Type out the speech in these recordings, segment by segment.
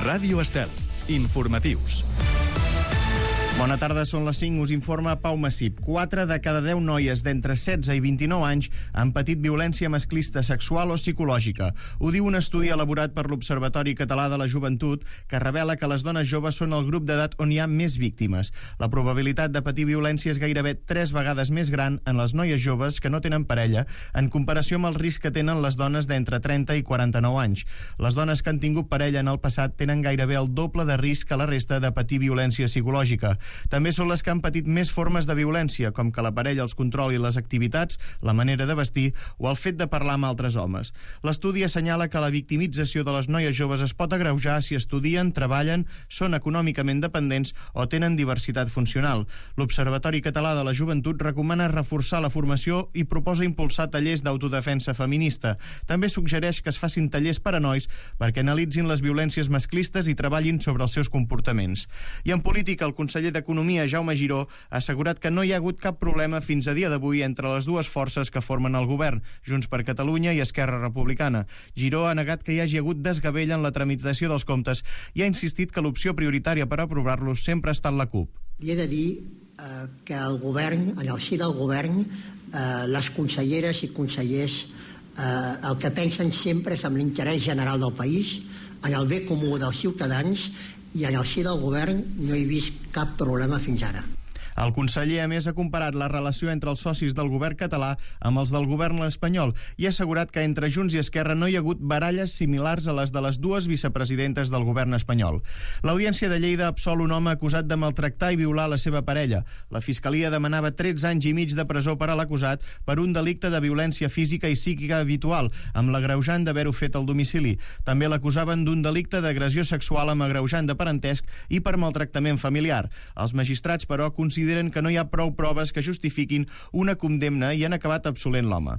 Ràdio Estel. Informatius. Bona tarda, són les 5, us informa Pau Massip. 4 de cada 10 noies d'entre 16 i 29 anys han patit violència masclista sexual o psicològica. Ho diu un estudi elaborat per l'Observatori Català de la Joventut que revela que les dones joves són el grup d'edat on hi ha més víctimes. La probabilitat de patir violència és gairebé 3 vegades més gran en les noies joves que no tenen parella en comparació amb el risc que tenen les dones d'entre 30 i 49 anys. Les dones que han tingut parella en el passat tenen gairebé el doble de risc que la resta de patir violència psicològica. També són les que han patit més formes de violència, com que la parella els controli les activitats, la manera de vestir o el fet de parlar amb altres homes. L'estudi assenyala que la victimització de les noies joves es pot agreujar si estudien, treballen, són econòmicament dependents o tenen diversitat funcional. L'Observatori Català de la Joventut recomana reforçar la formació i proposa impulsar tallers d'autodefensa feminista. També suggereix que es facin tallers per a nois perquè analitzin les violències masclistes i treballin sobre els seus comportaments. I en política, el conseller d'Economia, Jaume Giró, ha assegurat que no hi ha hagut cap problema fins a dia d'avui entre les dues forces que formen el govern, Junts per Catalunya i Esquerra Republicana. Giró ha negat que hi hagi hagut desgavell en la tramitació dels comptes i ha insistit que l'opció prioritària per aprovar-los sempre ha estat la CUP. I he de dir que el govern, en el si del govern, les conselleres i consellers el que pensen sempre és en l'interès general del país, en el bé comú dels ciutadans, i en el si del govern no he vist cap problema fins ara. El conseller, a més, ha comparat la relació entre els socis del govern català amb els del govern espanyol i ha assegurat que entre Junts i Esquerra no hi ha hagut baralles similars a les de les dues vicepresidentes del govern espanyol. L'Audiència de Lleida absol un home acusat de maltractar i violar la seva parella. La Fiscalia demanava 13 anys i mig de presó per a l'acusat per un delicte de violència física i psíquica habitual, amb l'agreujant d'haver-ho fet al domicili. També l'acusaven d'un delicte d'agressió sexual amb agreujant de parentesc i per maltractament familiar. Els magistrats, però, consideren que no hi ha prou proves que justifiquin una condemna i han acabat absolent l'home.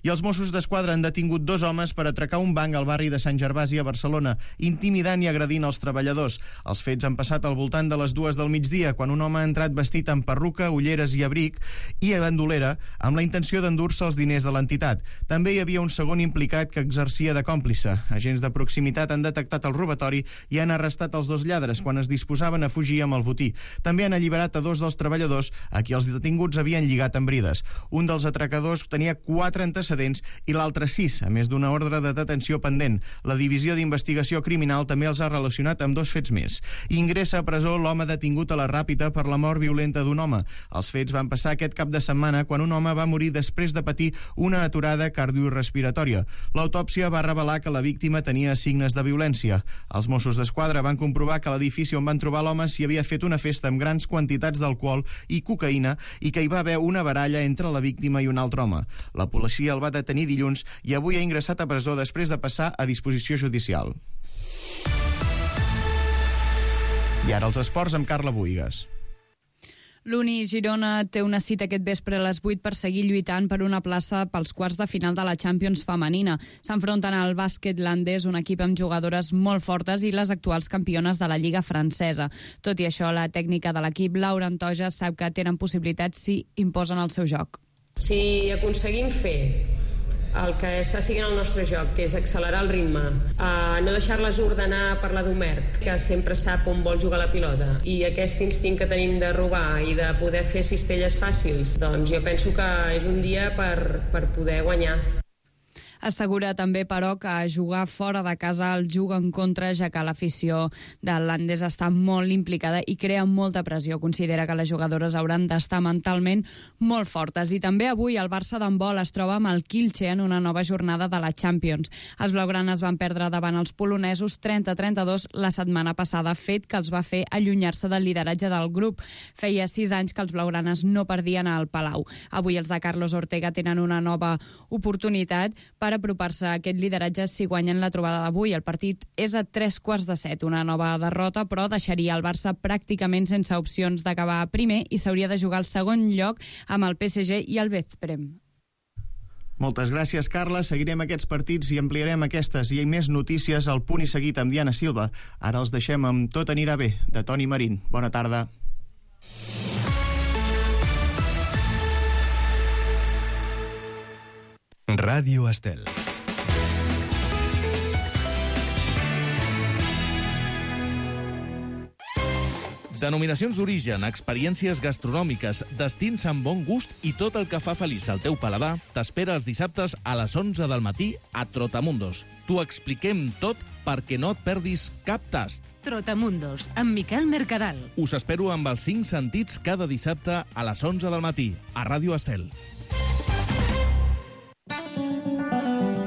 I els Mossos d'Esquadra han detingut 2 homes per atracar un banc al barri de Sant Gervasi a Barcelona, intimidant i agredint els treballadors. Els fets han passat al voltant de les 2 del migdia, quan un home ha entrat vestit amb perruca, ulleres i abric i bandolera amb la intenció d'endur-se els diners de l'entitat. També hi havia un segon implicat que exercia de còmplice. Agents de proximitat han detectat el robatori i han arrestat els 2 lladres quan es disposaven a fugir amb el botí. També han alliberat a 2 dels treballadors a qui els detinguts havien lligat amb brides. Un dels atracadors tenia 4 antecedents i l'altre 6, a més d'una ordre de detenció pendent. La Divisió d'Investigació Criminal també els ha relacionat amb 2 fets més. Ingressa a presó l'home detingut a la Ràpita per la mort violenta d'un home. Els fets van passar aquest cap de setmana quan un home va morir després de patir una aturada cardiorespiratòria. L'autòpsia va revelar que la víctima tenia signes de violència. Els Mossos d'Esquadra van comprovar que a l'edifici on van trobar l'home s'hi havia fet una festa amb grans quantitats d'alcohol i cocaïna i que hi va haver una baralla entre la víctima i un altre home. La policia el va detenir dilluns i avui ha ingressat a presó després de passar a disposició judicial. I ara els esports amb Carla Buïgas. L'Uni Girona té una cita aquest vespre a les 8 per seguir lluitant per una plaça pels quarts de final de la Champions femenina. S'enfronten al bàsquet landès, un equip amb jugadores molt fortes i les actuals campiones de la Lliga francesa. Tot i això, la tècnica de l'equip, Laura Antoja, sap que tenen possibilitats si imposen el seu joc. Si aconseguim fer el que està siguent el nostre joc, que és accelerar el ritme, no deixar-les ordenar per la d'Homer, que sempre sap on vol jugar la pilota, i aquest instint que tenim de robar i de poder fer cistelles fàcils, doncs jo penso que és un dia per poder guanyar. Assegura també, però, que jugar fora de casa el juga en contra, ja que l'afició del landès està molt implicada i crea molta pressió. Considera que les jugadores hauran d'estar mentalment molt fortes. I també avui el Barça d'handbol es troba amb el Kielce en una nova jornada de la Champions. Els blaugranes van perdre davant els polonesos 30-32 la setmana passada, fet que els va fer allunyar-se del lideratge del grup. Feia 6 anys que els blaugranes no perdien al Palau. Avui els de Carlos Ortega tenen una nova oportunitat per apropar-se a aquest lideratge si guanyen la trobada d'avui. El partit és a 6:45, una nova derrota, però deixaria el Barça pràcticament sense opcions d'acabar primer i s'hauria de jugar al segon lloc amb el PSG i el Veszprém. Moltes gràcies, Carla. Seguirem aquests partits i ampliarem aquestes i més notícies al Punt i Seguit amb Diana Silva. Ara els deixem amb Tot anirà bé, de Toni Marín. Bona tarda. Ràdio Estel. Denominacions d'origen, experiències gastronòmiques, destins amb bon gust i tot el que fa feliç al teu paladar t'espera els dissabtes a les 11 del matí a Trotamundos. T'ho expliquem tot perquè no et perdis cap tast. Trotamundos, amb Miquel Mercadal. Us espero amb els 5 sentits cada dissabte a les 11 del matí a Ràdio Estel.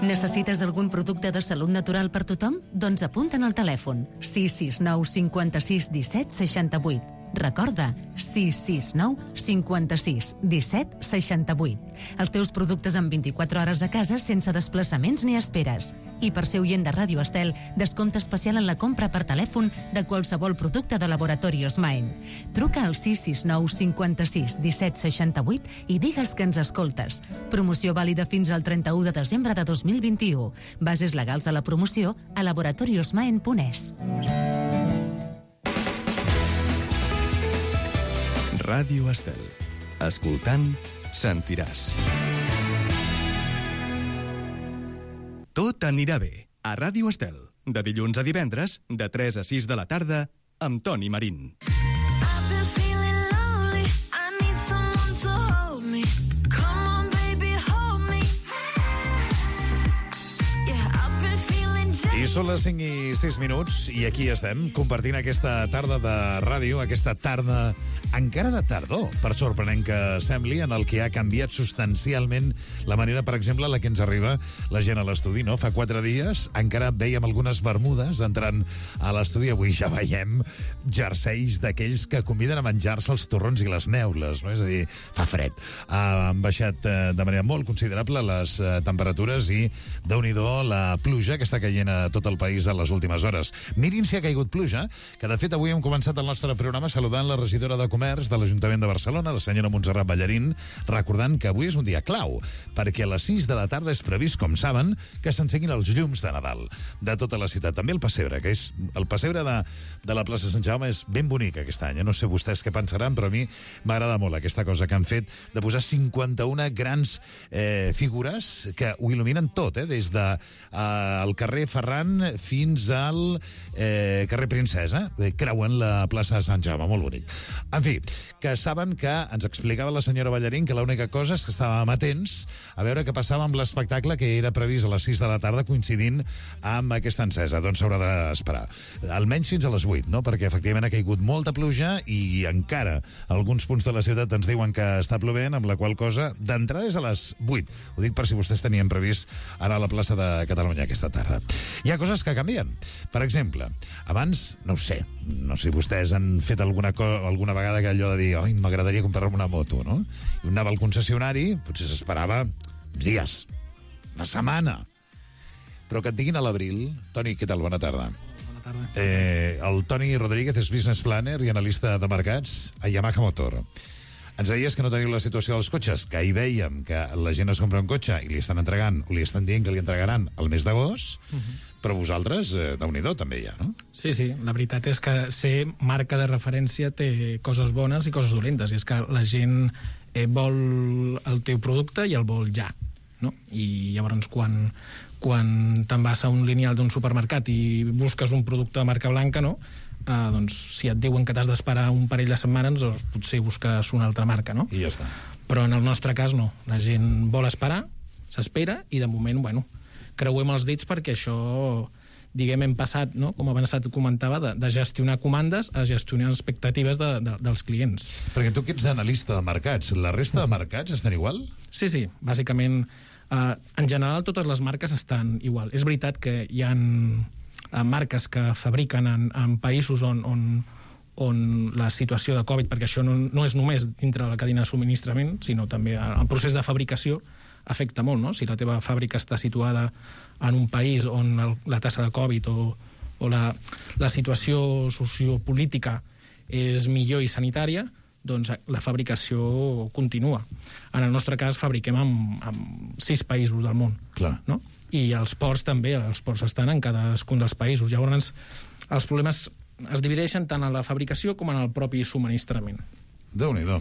Necessites algun producte de salut natural per tothom? Doncs apunta'n al telèfon 669 56 17 68. Recorda, 669 56 17 68. Els teus productes en 24 hores a casa sense desplaçaments ni esperes. I per ser oient de Ràdio Estel, descompte especial en la compra per telèfon de qualsevol producte de Laboratorios Maen. Truca al 669 56 17 68 i digues que ens escoltes. Promoció vàlida fins al 31 de desembre de 2021. Bases legals de la promoció a laboratoriosmaen.es. Ràdio Estel. Escoltant, sentiràs. Tot anirà bé. A Ràdio Estel. De dilluns a divendres, de 3 a 6 de la tarda, amb Toni Marín. I són les 5 i 6 minuts i aquí estem, compartint aquesta tarda de ràdio, aquesta tarda encara de tardor, per sorprenent que sembli, en el que ha canviat substancialment la manera, per exemple, en la que ens arriba la gent a l'estudi, no? Fa 4 dies encara veiem algunes bermudes entrant a l'estudi, avui ja veiem jerseis d'aquells que conviden a menjar-se els torrons i les neules, no? És a dir, fa fred. Han baixat de manera molt considerable les temperatures i, déu-n'hi-do, la pluja que està caient a tot el país en les últimes hores. Mirin si ha caigut pluja, que de fet avui hem començat el nostre programa saludant la regidora de Comerç de l'Ajuntament de Barcelona, la senyora Montserrat Ballarín, recordant que avui és un dia clau, perquè a les 6 de la tarda és previst, com saben, que s'encenguin els llums de Nadal de tota la ciutat. També el pessebre, que és el pessebre de la plaça Sant Jaume és ben bonic aquest any. No sé vostès què pensaran, però a mi m'agrada molt aquesta cosa que han fet de posar 51 grans figures que ho il·luminen tot, des del carrer Ferran fins al carrer Princesa, creuen la plaça Sant Jaume, molt bonic. En fi, que saben que ens explicava la senyora Ballarín que l'única cosa és que estàvem atents a veure què passava amb l'espectacle que era previst a les 6 de la tarda coincidint amb aquesta encesa. Doncs s'haurà d'esperar. Almenys fins a les 8, no? Perquè efectivament ha caigut molta pluja i encara alguns punts de la ciutat ens diuen que està plovent, amb la qual cosa d'entrada és a les 8. Ho dic per si vostès tenien previst anar a la plaça de Catalunya aquesta tarda. Hi ha coses que canvien. Per exemple, abans, no sé si vostès han fet alguna vegada que allò de dir oi, m'agradaria comprar-me una moto, no? I un anava al concessionari, potser s'esperava dies, una setmana. Però que et diguin a l'abril... Toni, què tal? Bona tarda. Bona tarda. El Toni Rodríguez és business planner i analista de mercats a Yamaha Motor. Ens deies que no teniu la situació dels cotxes, que ahir veiem que la gent es compra un cotxe i li estan entregant, o li estan dient que li entregaran el mes d'agost, però vosaltres, déu-n'hi-do, també hi ha, no? Sí, la veritat és que ser marca de referència té coses bones i coses dolentes, i és que la gent vol el teu producte i el vol ja, no? I llavors quan te'n vas a un lineal d'un supermercat i busques un producte de marca blanca, no? Doncs si et diuen que t'has d'esperar un parell de setmanes, doncs potser busques una altra marca, no? I ja està. Però en el nostre cas no. La gent vol esperar, s'espera, i de moment, creuem els dits perquè això, diguem, hem passat, no? Com abans et comentava, de gestionar comandes a gestionar expectatives dels clients. Perquè tu que ets analista de mercats, la resta de mercats estan igual? Sí, bàsicament, en general totes les marques estan igual. És veritat que hi ha marques que fabriquen en països on la situació de Covid, perquè això no és només dintre de la cadena de subministrament, sinó també el procés de fabricació afecta molt, no? Si la teva fàbrica està situada en un país on la tassa de Covid o la situació sociopolítica és millor i sanitària, doncs la fabricació continua. En el nostre cas fabriquem en 6 països del món. Clar. No? I els ports també, els ports estan en cadascun dels països. Llavors els problemes es divideixen tant en la fabricació com en el propi subministrament. Déu-n'hi-do.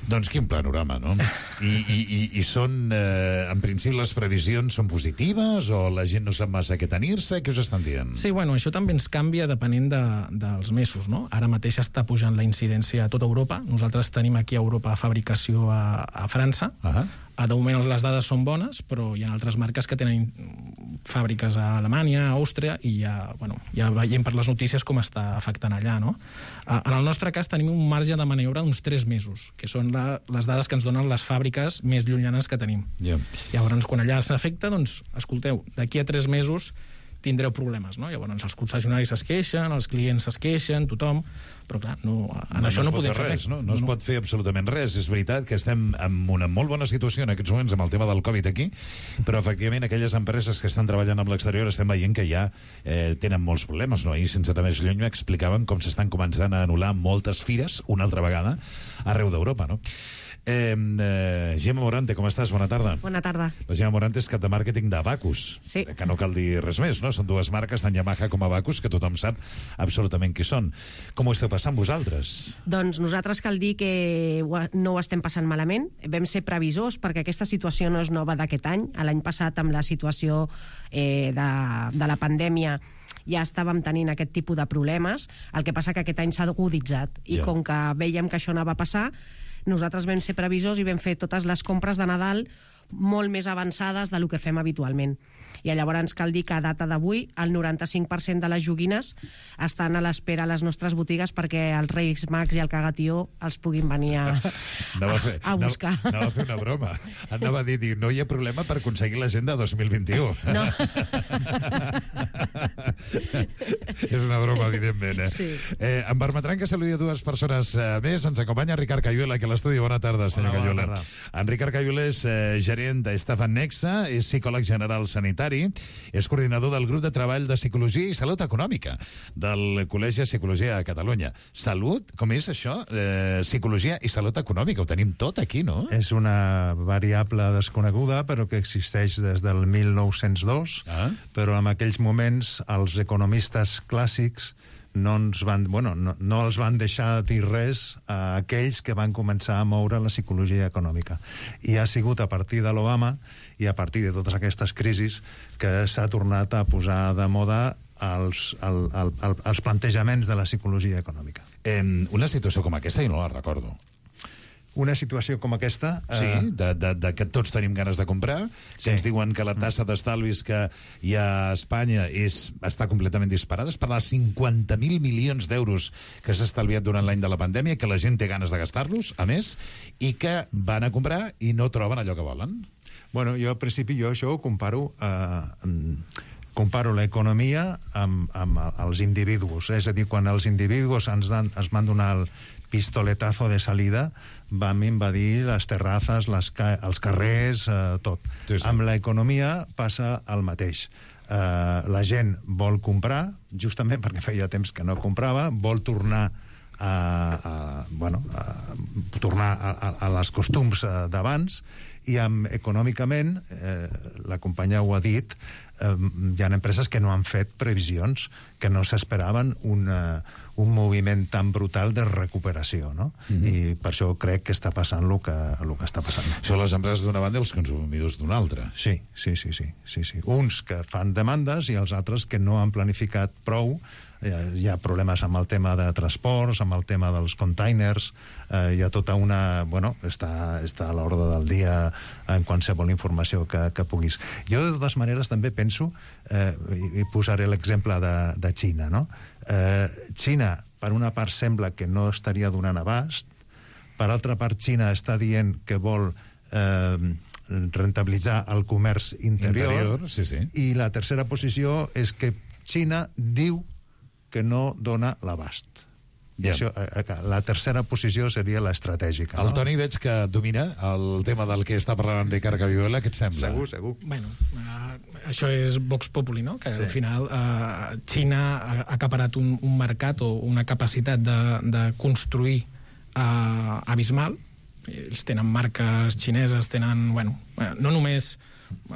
Doncs quin panorama, no? I són, en principi, les previsions són positives o la gent no sap massa què tenir-se? Què us estan dient? Sí, bueno, això també ens canvia depenent dels mesos, no? Ara mateix està pujant la incidència a tota Europa. Nosaltres tenim aquí a Europa fabricació a França. De moment les dades són bones, però hi ha altres marques que tenen fàbriques a Alemanya, a Àustria, i ja veiem per les notícies com està afectant allà, no? En el nostre cas tenim un marge de maniobra d'uns 3 mesos, que són les dades que ens donen les fàbriques més llunyanes que tenim. Llavors, quan allà s'afecta, doncs, escolteu, d'aquí a 3 mesos tindreu problemes, no? Llavors els concessionaris es queixen, els clients es queixen, tothom, però clar, això no podem fer res. No es pot fer absolutament res. És veritat que estem en una molt bona situació en aquests moments amb el tema del Covid aquí, però efectivament aquelles empreses que estan treballant amb l'exterior estem veient que ja tenen molts problemes, no? Ahir, sense anar més lluny, m'explicaven com s'estan començant a anul·lar moltes fires, una altra vegada, arreu d'Europa, no? Gemma Morante, com estàs? Bona tarda. Bona tarda. La Gemma Morante és cap de màrqueting d'Abacus. Sí. Que no cal dir res més, no? Són dues marques, tant Yamaha com Abacus, que tothom sap absolutament qui són. Com ho esteu passant vosaltres? Doncs nosaltres cal dir que no ho estem passant malament. Vam ser previsors perquè aquesta situació no és nova d'aquest any. L'any passat, amb la situació de la pandèmia, ja estàvem tenint aquest tipus de problemes. El que passa que aquest any s'ha aguditzat. I com que veiem que això anava a passar, nosaltres vam ser previsors i vam fer totes les compres de Nadal molt més avançades del que fem habitualment. I llavors cal dir que a data d'avui el 95% de les joguines estan a l'espera a les nostres botigues perquè els Reis Mags i el Cagatió els puguin venir a buscar. Anava a fer una broma. Anava a dir, no hi ha problema per aconseguir l'agenda 2021. No. És una broma, evidentment. Sí. Em permetran que saludi a dues persones més. Ens acompanya Ricard Cayuela, que a l'estudi. Bona tarda, senyor Cayuela. En Ricard Cayuela és gerent d'Estafan Nexa, és psicòleg general sanitari, és coordinador del grup de treball de Psicologia i Salut Econòmica del Col·legi de Psicologia a Catalunya. Salut, com és això? Psicologia i Salut Econòmica, ho tenim tot aquí, no? És una variable desconeguda, però que existeix des del 1902, però en aquells moments els economistes clàssics no els van deixar dir res a aquells que van començar a moure la psicologia econòmica. I ha sigut a partir de l'Obama i a partir de totes aquestes crisis que s'ha tornat a posar de moda els plantejaments de la psicologia econòmica. Una situació com aquesta jo no la recordo. Una situació com aquesta... Sí, de que tots tenim ganes de comprar, que ens diuen que la tassa d'estalvis que hi ha a Espanya està completament disparada, és per les 50.000 milions d'euros que s'ha estalviat durant l'any de la pandèmia, que la gent té ganes de gastar-los, a més, i que van a comprar i no troben allò que volen. Bueno, jo al principi això ho comparo l'economia amb els individus. És a dir, quan els individus ens van donar el pistoletazo de salida, vam invadir les terrazas, els carrers, tot. Sí. Amb l'economia passa el mateix. La gent vol comprar, justament perquè feia temps que no comprava, vol tornar a les costums d'abans, i econòmicament, la companya ho ha dit, hi ha empreses que no han fet previsions, que no s'esperaven un moviment tan brutal de recuperació, no? I per això crec que està passant el que està passant. Són les empreses d'una banda i els consumidors d'una altra. Sí. Uns que fan demandes i els altres que no han planificat prou. Hi ha problemes amb el tema de transports, amb el tema dels containers, hi ha tota una... està a l'ordre del dia en qualsevol informació que puguis. Jo, de totes maneres, també penso, i posaré l'exemple de Xina, no? Xina, per una part, sembla que no estaria donant abast, per altra part, Xina està dient que vol rentabilitzar el comerç interior, i la tercera posició és que Xina diu que no dona l'abast. Això, la tercera posició seria l'estratègica. El Toni veig que domina el tema del que està parlant en Ricard Cayuela. Què et sembla? Segur. Bueno, això és Vox Populi, no? Que al final Xina ha acaparat un mercat o una capacitat de construir abismal. Ells tenen marques xineses, tenen, no només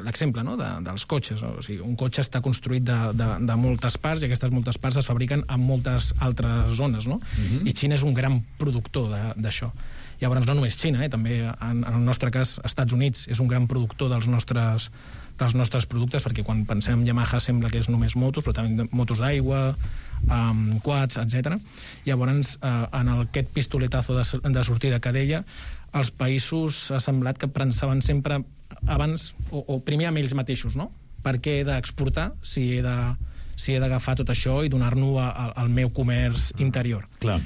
l'exemple, no?, dels cotxes. O sigui, un cotxe està construït de moltes parts i aquestes moltes parts es fabriquen en moltes altres zones, no? I Xina és un gran productor d'això. Llavors, no només Xina, també, en el nostre cas, Estats Units és un gran productor dels nostres productes, perquè quan pensem en Yamaha sembla que és només motos, però també motos d'aigua, quads, etc. Llavors, en aquest pistoletazo de sortida que deia, els països ha semblat que pensaven sempre abans, o primer amb ells mateixos, no? Per què he d'exportar si he d'agafar tot això i donar-ho al meu comerç interior? Clar.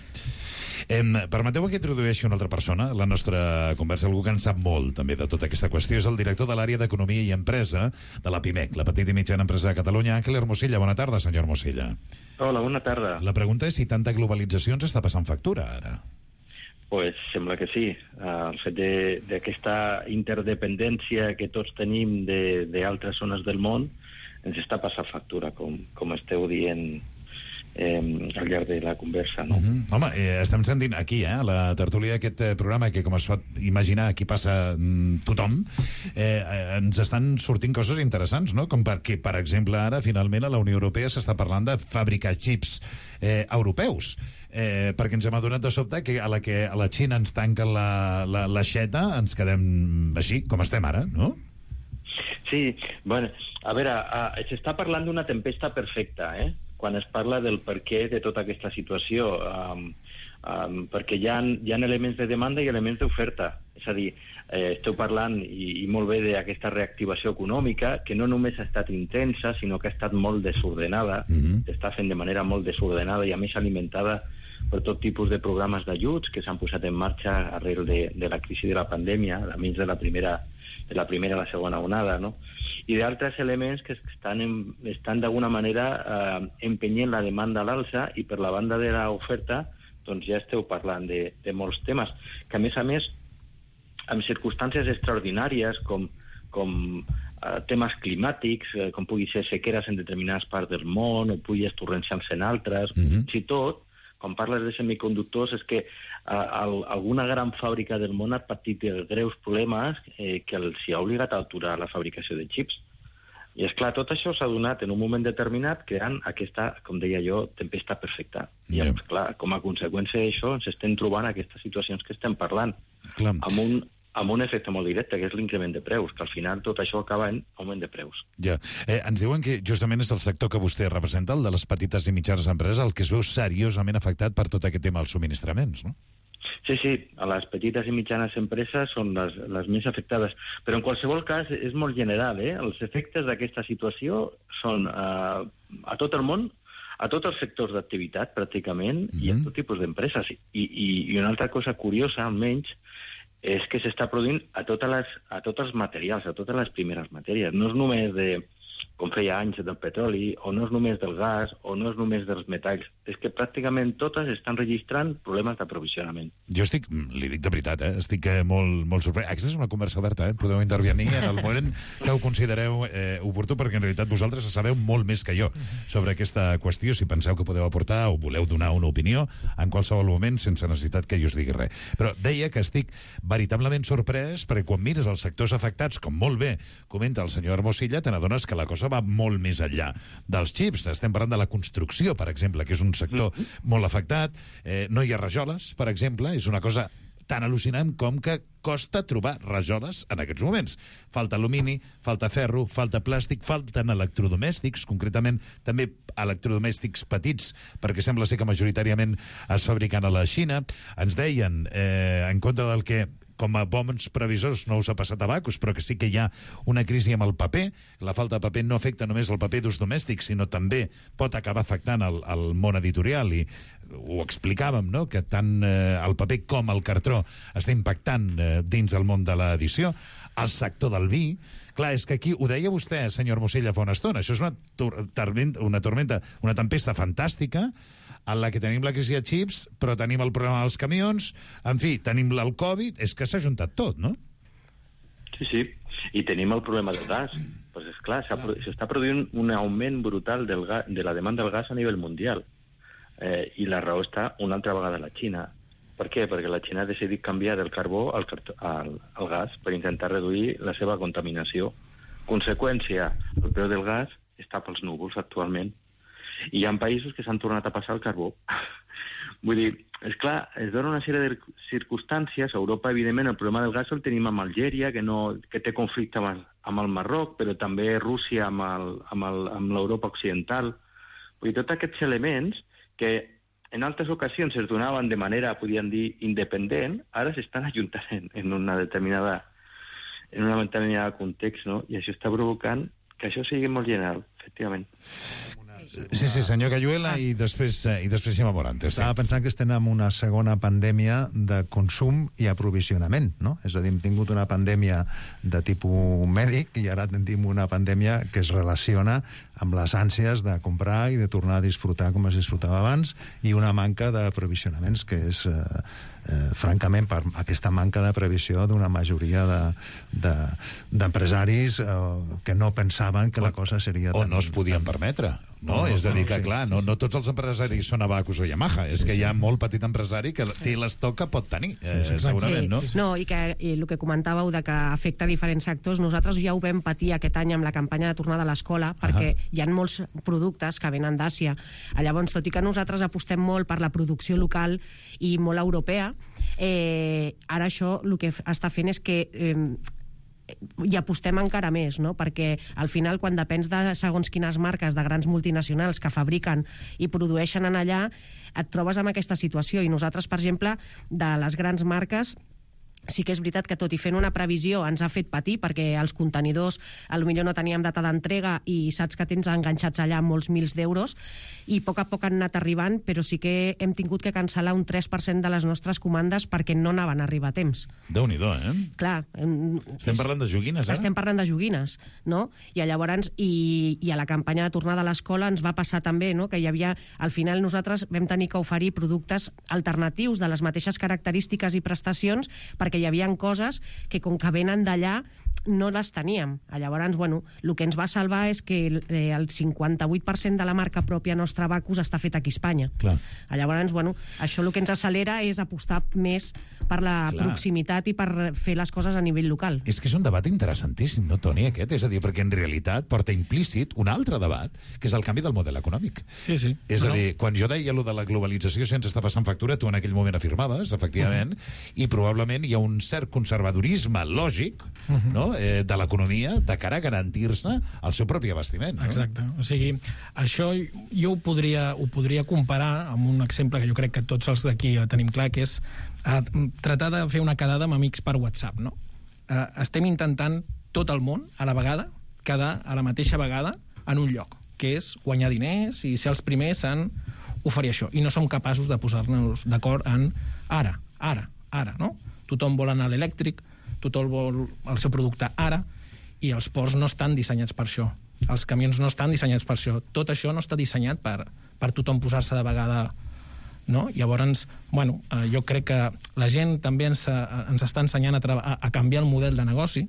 Permeteu que introdueixi una altra persona a la nostra conversa, algú que en sap molt també de tota aquesta qüestió. És el director de l'àrea d'Economia i Empresa de la PIMEC, la Petita i Mitjana Empresa de Catalunya, Àngel Hermosilla. Bona tarda, senyor Hermosilla. Hola, bona tarda. La pregunta és si tanta globalització ens està passant factura, ara. Pues sembla que sí. El fet d'aquesta interdependència que tots tenim d'altres zones del món ens està passant factura, com esteu dient al llarg de la conversa, no? Home, estem sentint aquí, a la tertúlia d'aquest programa, que com es pot imaginar aquí passa tothom, ens estan sortint coses interessants, no? Com perquè, per exemple, ara finalment a la Unió Europea s'està parlant de fabricar xips europeus, perquè ens hem adonat de sobte que a la Xina ens tanquen l'aixeta, ens quedem així, com estem ara, no? Sí, bueno, a veure, s'està parlant d'una tempesta perfecta, quan es parla del perquè de tota aquesta situació, perquè hi ha elements de demanda i elements d'oferta. És a dir, esteu parlant, i molt bé, d'aquesta reactivació econòmica, que no només ha estat intensa, sinó que ha estat molt desordenada, s'està fent de manera molt desordenada i a més alimentada per tot tipus de programes d'ajuts que s'han posat en marxa arrel de la crisi de la pandèmia, a més de la primera i la segona onada, no? I d'altres elements que estan d'alguna manera empenyent la demanda a l'alça, i per la banda de l'oferta doncs ja esteu parlant de molts temes, que a més, amb circumstàncies extraordinàries com temes climàtics, com pugui ser sequeres en determinades parts del món o pluges torrencials en altres, fins i tot, quan parles de semiconductors, és que alguna gran fàbrica del món ha patit greus problemes que els hi ha obligat a aturar la fabricació de xips. I, esclar, tot això s'ha donat en un moment determinat creant aquesta, com deia jo, tempesta perfecta. I, esclar, com a conseqüència d'això ens estem trobant aquestes situacions que estem parlant, amb un efecte molt directe, que és l'increment de preus, que al final tot això acaba en augment de preus. Ja. Ens diuen que justament és el sector que vostè representa, el de les petites i mitjanes empreses, el que es veu seriosament afectat per tot aquest tema dels subministraments, no? Sí, a les petites i mitjanes empreses són les més afectades, però en qualsevol cas és molt general, Els efectes d'aquesta situació són a tot el món, a tots els sectors d'activitat, pràcticament, i a tot tipus d'empreses. I una altra cosa curiosa, almenys, és que s'està produint a tots els materials, a totes les primeres matèries. No és només com feia anys, del petroli, o no és només del gas, o no és només dels metalls. És que pràcticament totes estan registrant problemes d'aprovisionament. Jo li dic de veritat, estic molt sorprès. Aquesta és una conversa oberta, podeu intervenir en el moment que ho considereu oportú, perquè en realitat vosaltres sabeu molt més que jo sobre aquesta qüestió, si penseu que podeu aportar o voleu donar una opinió en qualsevol moment, sense necessitat que jo us digui res. Però deia que estic veritablement sorprès, perquè quan mires els sectors afectats, com molt bé comenta el senyor Hermosilla, te n'adones que la cosa va molt més enllà dels xips. Estem parlant de la construcció, per exemple, que és un sector molt afectat. No hi ha rajoles, per exemple. És una cosa tan al·lucinant com que costa trobar rajoles en aquests moments. Falta alumini, falta ferro, falta plàstic, falten electrodomèstics, concretament també electrodomèstics petits, perquè sembla ser que majoritàriament es fabriquen a la Xina. Ens deien, en contra del que com a bons previsors no us ha passat a Bacus, però que sí que hi ha una crisi amb el paper. La falta de paper no afecta només el paper d'ús domèstic, sinó també pot acabar afectant el món editorial, i ho explicàvem, no?, que tant el paper com el cartró està impactant dins el món de l'edició. El sector del vi, clar, és que aquí, ho deia vostè, senyor Hermosilla, fa una estona, això és una tempesta fantàstica, en la que tenim la crisi de xips, però tenim el problema dels camions, en fi, tenim el Covid, és que s'ha juntat tot, no? Sí, i tenim el problema del gas. Pues és clar, s'està produint un augment brutal de la demanda del gas a nivell mundial, i la raó està una altra vegada a la Xina. Per què? Perquè la Xina ha decidit canviar del carbó al gas per intentar reduir la seva contaminació Conseqüència, el preu del gas està pels núvols actualment. I hi ha països que s'han tornat a passar el carbó. Vull dir, és clar, es dona una sèrie de circumstàncies. A Europa, evidentment, el problema del gas el tenim amb Algèria, que té conflicte amb el Marroc, però també Rússia amb l'Europa occidental. Vull dir, tots aquests elements que en altres ocasions es donaven de manera, podríem dir, independent, ara s'estan ajuntant en una determinada context, no? I això està provocant que això sigui molt general, efectivament. Sí, senyor Cayuela, i després Xema Morantes. Estava pensant que estem en una segona pandèmia de consum i aprovisionament, no? És a dir, hem tingut una pandèmia de tipus mèdic i ara tenim una pandèmia que es relaciona amb les ànsies de comprar i de tornar a disfrutar com es disfrutava abans, i una manca d'aprovisionaments que és, francament, per aquesta manca de previsió d'una majoria d'empresaris que no pensaven que la cosa seria o no es podien permetre. No, és a dir, que clar, no tots els empresaris són Abacus o Yamaha, és que hi ha molt petit empresari que té l'estoc que pot tenir, segurament, no? No, i el que comentàveu de que afecta diferents sectors, nosaltres ja ho vam patir aquest any amb la campanya de tornada a l'escola, perquè hi ha molts productes que venen d'Àsia. Llavors, tot i que nosaltres apostem molt per la producció local i molt europea, ara això el que està fent és que i apostem encara més, no? Perquè al final, quan depens de segons quines marques de grans multinacionals que fabriquen i produeixen en allà, et trobes amb aquesta situació. I nosaltres, per exemple, de les grans marques, sí que és veritat que tot i fent una previsió ens ha fet patir, perquè els contenidors potser no teníem data d'entrega i saps que tens enganxats allà molts mils d'euros, i a poc han anat arribant, però sí que hem tingut que cancel·lar un 3% de les nostres comandes perquè no anaven a arribar a temps. Déu-n'hi-do, Clar. Estem parlant de joguines, ara? Estem parlant de joguines, no? I llavors, i a la campanya de tornada a l'escola ens va passar també, no?, que hi havia, al final nosaltres vam tenir que oferir productes alternatius de les mateixes característiques i prestacions, perquè hi havia coses que, com que venen d'allà, no les teníem. Llavors, el que ens va salvar és que el 58% de la marca pròpia nostra Abacus està fet aquí a Espanya. Clar. Llavors, això el que ens accelera és apostar més per la proximitat i per fer les coses a nivell local. És que és un debat interessantíssim, no, Toni, aquest? És a dir, perquè en realitat porta implícit un altre debat, que és el canvi del model econòmic. Sí. És a dir, quan jo deia allò de la globalització sense estar passant factura, tu en aquell moment afirmaves, efectivament, i probablement hi ha un cert conservadorisme lògic, no?, de l'economia de cara a garantir-se el seu propi abastiment. No? Exacte. O sigui, això jo ho podria comparar amb un exemple que jo crec que tots els d'aquí tenim clar, que és tratar de fer una quedada amb amics per WhatsApp, no? Estem intentant tot el món a la vegada, quedar a la mateixa vegada en un lloc, que és guanyar diners i ser els primers en oferir això. I no som capaços de posar-nos d'acord en ara, no? Tothom vol anar a l'elèctric, tothom vol el seu producte ara, i els ports no estan dissenyats per això. Els camions no estan dissenyats per això. Tot això no està dissenyat per tothom posar-se de vegada, no? Llavors, jo crec que la gent també ens està ensenyant a canviar el model de negoci,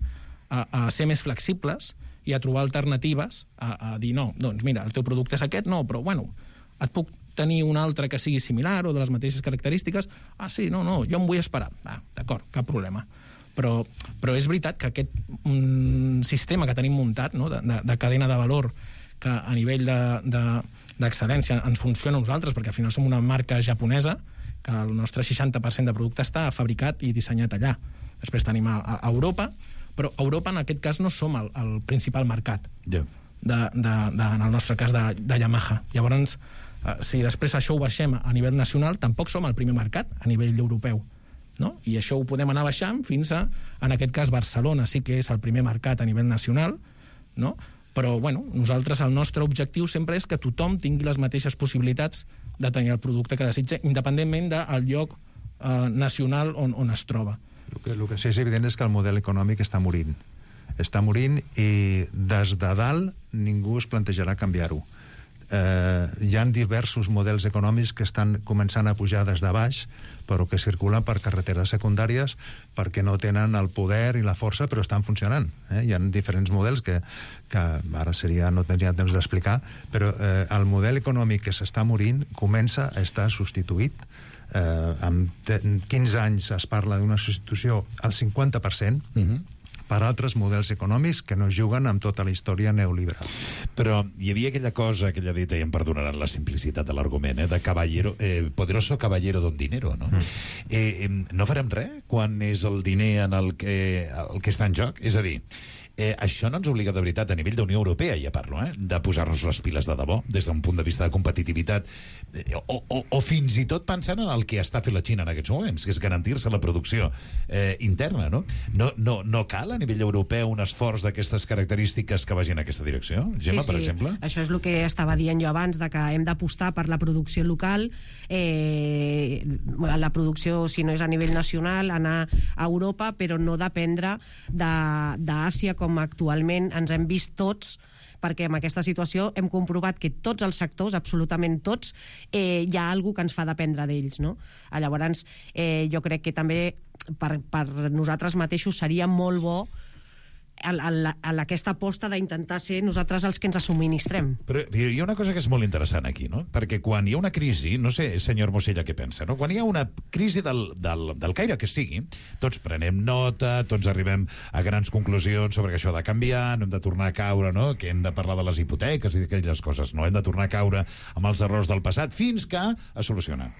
a ser més flexibles i a trobar alternatives, a dir, no, doncs mira, el teu producte és aquest, no, però et puc tenir un altre que sigui similar o de les mateixes característiques. Sí, no, jo em vull esperar. D'acord, cap problema. Però és veritat que aquest sistema que tenim muntat, no?, de cadena de valor, que a nivell d'excel·lència ens funciona a nosaltres, perquè al final som una marca japonesa, que el nostre 60% de producte està fabricat i dissenyat allà. Després tenim a Europa, però a Europa en aquest cas no som el principal mercat, en el nostre cas de Yamaha. Llavors, si després això ho baixem a nivell nacional, tampoc som el primer mercat a nivell europeu, no? I això ho podem anar baixant fins a, en aquest cas, Barcelona sí que és el primer mercat a nivell nacional, no? Però, nosaltres, el nostre objectiu sempre és que tothom tingui les mateixes possibilitats de tenir el producte que desitja, independentment del lloc nacional on es troba. El que sí és evident és que el model econòmic està morint. Està morint i des de dalt ningú es plantejarà canviar-ho. Hi ha diversos models econòmics que estan començant a pujar des de baix, però que circulen per carreteres secundàries perquè no tenen el poder i la força, però estan funcionant. Hi ha diferents models que ara no tindria temps d'explicar, però el model econòmic que s'està morint comença a estar substituït. En 15 anys es parla d'una substitució al 50%, per altres models econòmics que no juguen amb tota la història neoliberal. Però hi havia aquella cosa, aquella dita, i em perdonaran la simplicitat de l'argument, de caballero, poderoso caballero don dinero, no? No farem res quan és el diner en el que està en joc? És a dir, això no ens obliga de veritat a nivell d'Unió Europea, ja parlo, de posar-nos les piles de debò, des d'un punt de vista de competitivitat, o fins i tot pensant en el que està fent la Xina en aquests moments, que és garantir-se la producció interna, no? No cal a nivell europeu un esforç d'aquestes característiques que vagin en aquesta direcció? Gemma, per exemple? Això és el que estava dient jo abans, de que hem d'apostar per la producció local, la producció, si no és a nivell nacional, anar a Europa, però no dependre d'Àsia, com actualment ens hem vist tots, perquè en aquesta situació hem comprovat que tots els sectors, absolutament tots, hi ha alguna cosa que ens fa dependre d'ells, no? Llavors, jo crec que també per nosaltres mateixos seria molt bo aquesta aposta d'intentar ser nosaltres els que ens subministrem. Però hi ha una cosa que és molt interessant aquí, no? Perquè quan hi ha una crisi, no sé, senyor Mosella, què pensa, no? Quan hi ha una crisi del caire que sigui, tots prenem nota, tots arribem a grans conclusions sobre que això ha de canviar, no hem de tornar a caure, no? Que hem de parlar de les hipoteques i d'aquelles coses, no? Hem de tornar a caure amb els errors del passat fins que es soluciona.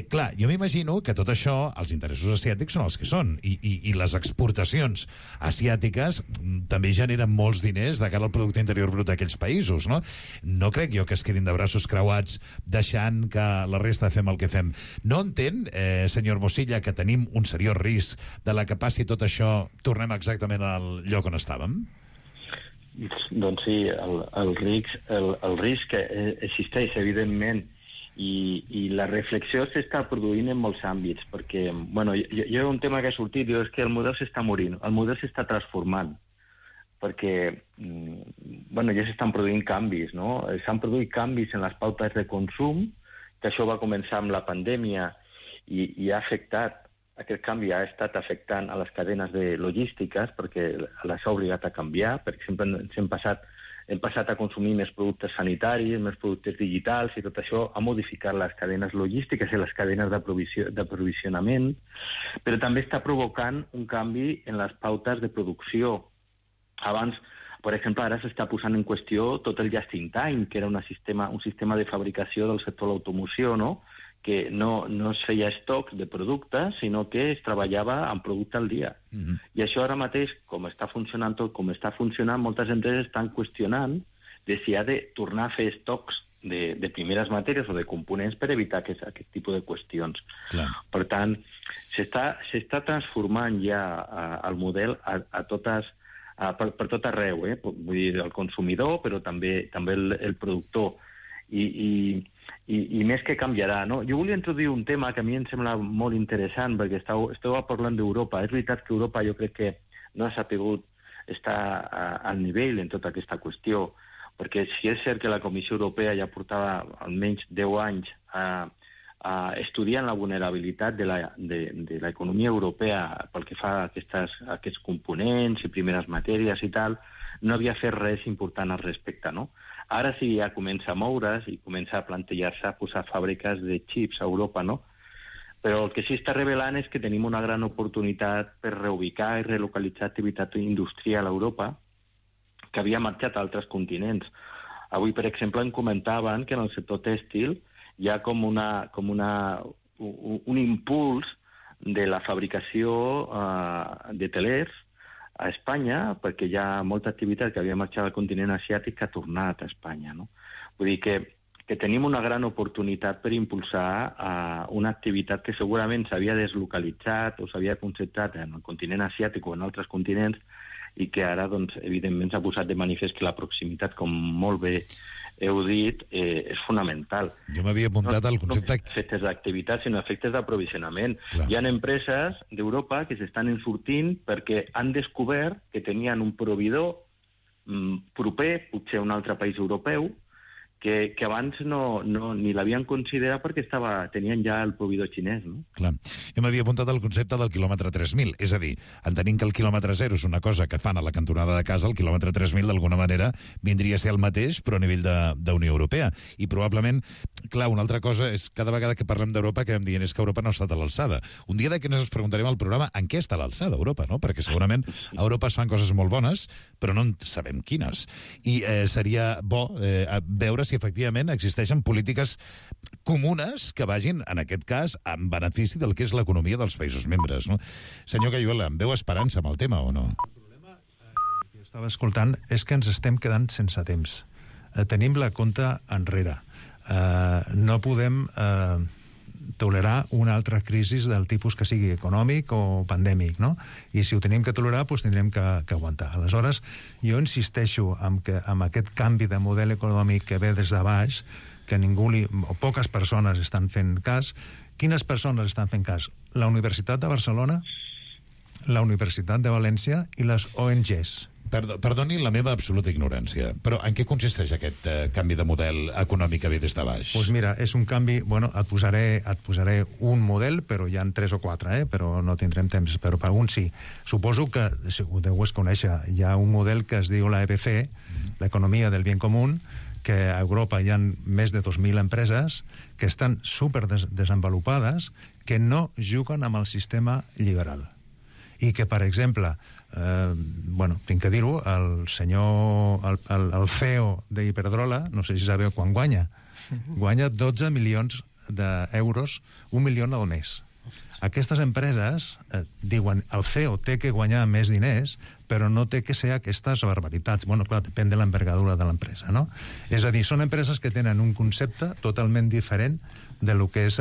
Clar, jo m'imagino que tot això, els interessos asiàtics són els que són, i les exportacions asiàtiques també generen molts diners de cara al producte interior brut d'aquells països, no? No crec jo que es quedin de braços creuats deixant que la resta fem el que fem. No entén, senyor Mosilla, que tenim un seriós risc de la que passi tot això, tornem exactament al lloc on estàvem? Doncs sí, el risc existeix, evidentment, i la reflexió s'està produint en molts àmbits, perquè, bueno, hi ha un tema que ha sortit, és que el model s'està morint, el model s'està transformant, perquè, bueno, ja s'estan produint canvis, no? S'han produït canvis en les pautes de consum, que això va començar amb la pandèmia i ha afectat, aquest canvi ha estat afectant a les cadenes de logístiques, perquè les ha obligat a canviar. Per exemple, hem passat a consumir més productes sanitaris, més productes digitals, i tot això ha modificat les cadenes logístiques i les cadenes d'aprovisionament, però també està provocant un canvi en les pautes de producció. Abans, per exemple, ara s'està posant en qüestió tot el just-in-time, que era un sistema de fabricació del sector de l'automoció, no? Que no es feia estoc de productes, sinó que es treballava amb producte al dia. I això ara mateix, com està funcionant tot, com està funcionant, moltes empreses estan qüestionant de si ha de tornar a fer estocs de primeres matèries o de components per evitar aquest tipus de qüestions. Clar. Per tant, s'està transformant ja el model a totes... per tot arreu, vull dir, el consumidor, però també el productor. I més que canviarà, no? Jo volia introduir un tema que a mi em sembla molt interessant, perquè esteu parlant d'Europa. És veritat que Europa jo crec que no ha sapigut estar al nivell en tota aquesta qüestió, perquè si és cert que la Comissió Europea ja portava almenys 10 anys estudiant la vulnerabilitat de l'economia europea pel que fa a aquests components i primeres matèries i tal, no havia fet res important al respecte, no? Ara sí ja comença a moure's i comença a plantejar-se a posar fàbriques de xips a Europa, no? Però el que sí està revelant és que tenim una gran oportunitat per reubicar i relocalitzar activitat industrial a Europa que havia marxat a altres continents. Avui, per exemple, em comentaven que en el sector tèxtil hi ha com un impuls de la fabricació de telers a Espanya, perquè hi ha molta activitat que havia marxat al continent asiàtic que ha tornat a Espanya, no? Vull dir que tenim una gran oportunitat per impulsar una activitat que segurament s'havia deslocalitzat o s'havia concentrat en el continent asiàtic o en altres continents i que ara, doncs, evidentment, s'ha posat de manifest que la proximitat, com molt bé heu dit, és fonamental. Jo m'havia apuntat al concepte... No efectes d'activitat, sinó efectes d'aprovisionament. Hi ha empreses d'Europa que s'estan ensortint perquè han descobert que tenien un proveïdor proper, potser a un altre país europeu, que abans ni l'havien considerat perquè tenien ja el proveïdor xinès, no? Clar. Jo m'havia apuntat al concepte del quilòmetre 3.000, és a dir, entenint que el quilòmetre 0 és una cosa que fan a la cantonada de casa, el quilòmetre 3.000 d'alguna manera vindria a ser el mateix, però a nivell d'Unió Europea. I probablement, clar, una altra cosa és cada vegada que parlem d'Europa que dient és que Europa no ha estat a l'alçada. Un dia d'aquests ens preguntarem al programa en què està a l'alçada Europa, no? Perquè segurament a Europa es fan coses molt bones, però no en sabem quines. I seria bo veure si efectivament existeixen polítiques comunes que vagin, en aquest cas, en benefici del que és l'economia dels països membres, no? Senyor Cayuela, em veu esperança amb el tema o no? El problema que jo estava escoltant és que ens estem quedant sense temps. Tenim la compta enrere. No podem tolerar una altra crisi del tipus que sigui econòmic o pandèmic, no? I si ho tenim que tolerar, doncs tindrem que aguantar. Aleshores, jo insisteixo en que amb aquest canvi de model econòmic que ve des de baix, que o poques persones estan fent cas. Quines persones estan fent cas? La Universitat de Barcelona, la Universitat de València i les ONGs. Perdoni la meva absoluta ignorància, però en què consisteix aquest canvi de model econòmic que ve des de baix? Doncs mira, és un canvi... Bueno, et posaré un model, però hi ha 3 o 4, però no tindrem temps, però per un sí. Suposo que, si ho deus conèixer, hi ha un model que es diu la EBC, l'economia del bien común, que a Europa hi ha més de 2.000 empreses que estan super desenvolupades, que no juguen amb el sistema liberal. I que, per exemple... tinc que dir-ho, el CEO d'Iberdrola, no sé si sabeu quan guanya 12 milions d'euros, 1 milió al mes. Aquestes empreses diuen el CEO té que guanyar més diners, però no té que ser aquestes barbaritats. Bueno, clar, depèn de l'envergadura de l'empresa, no? És a dir, són empreses que tenen un concepte totalment diferent de lo que és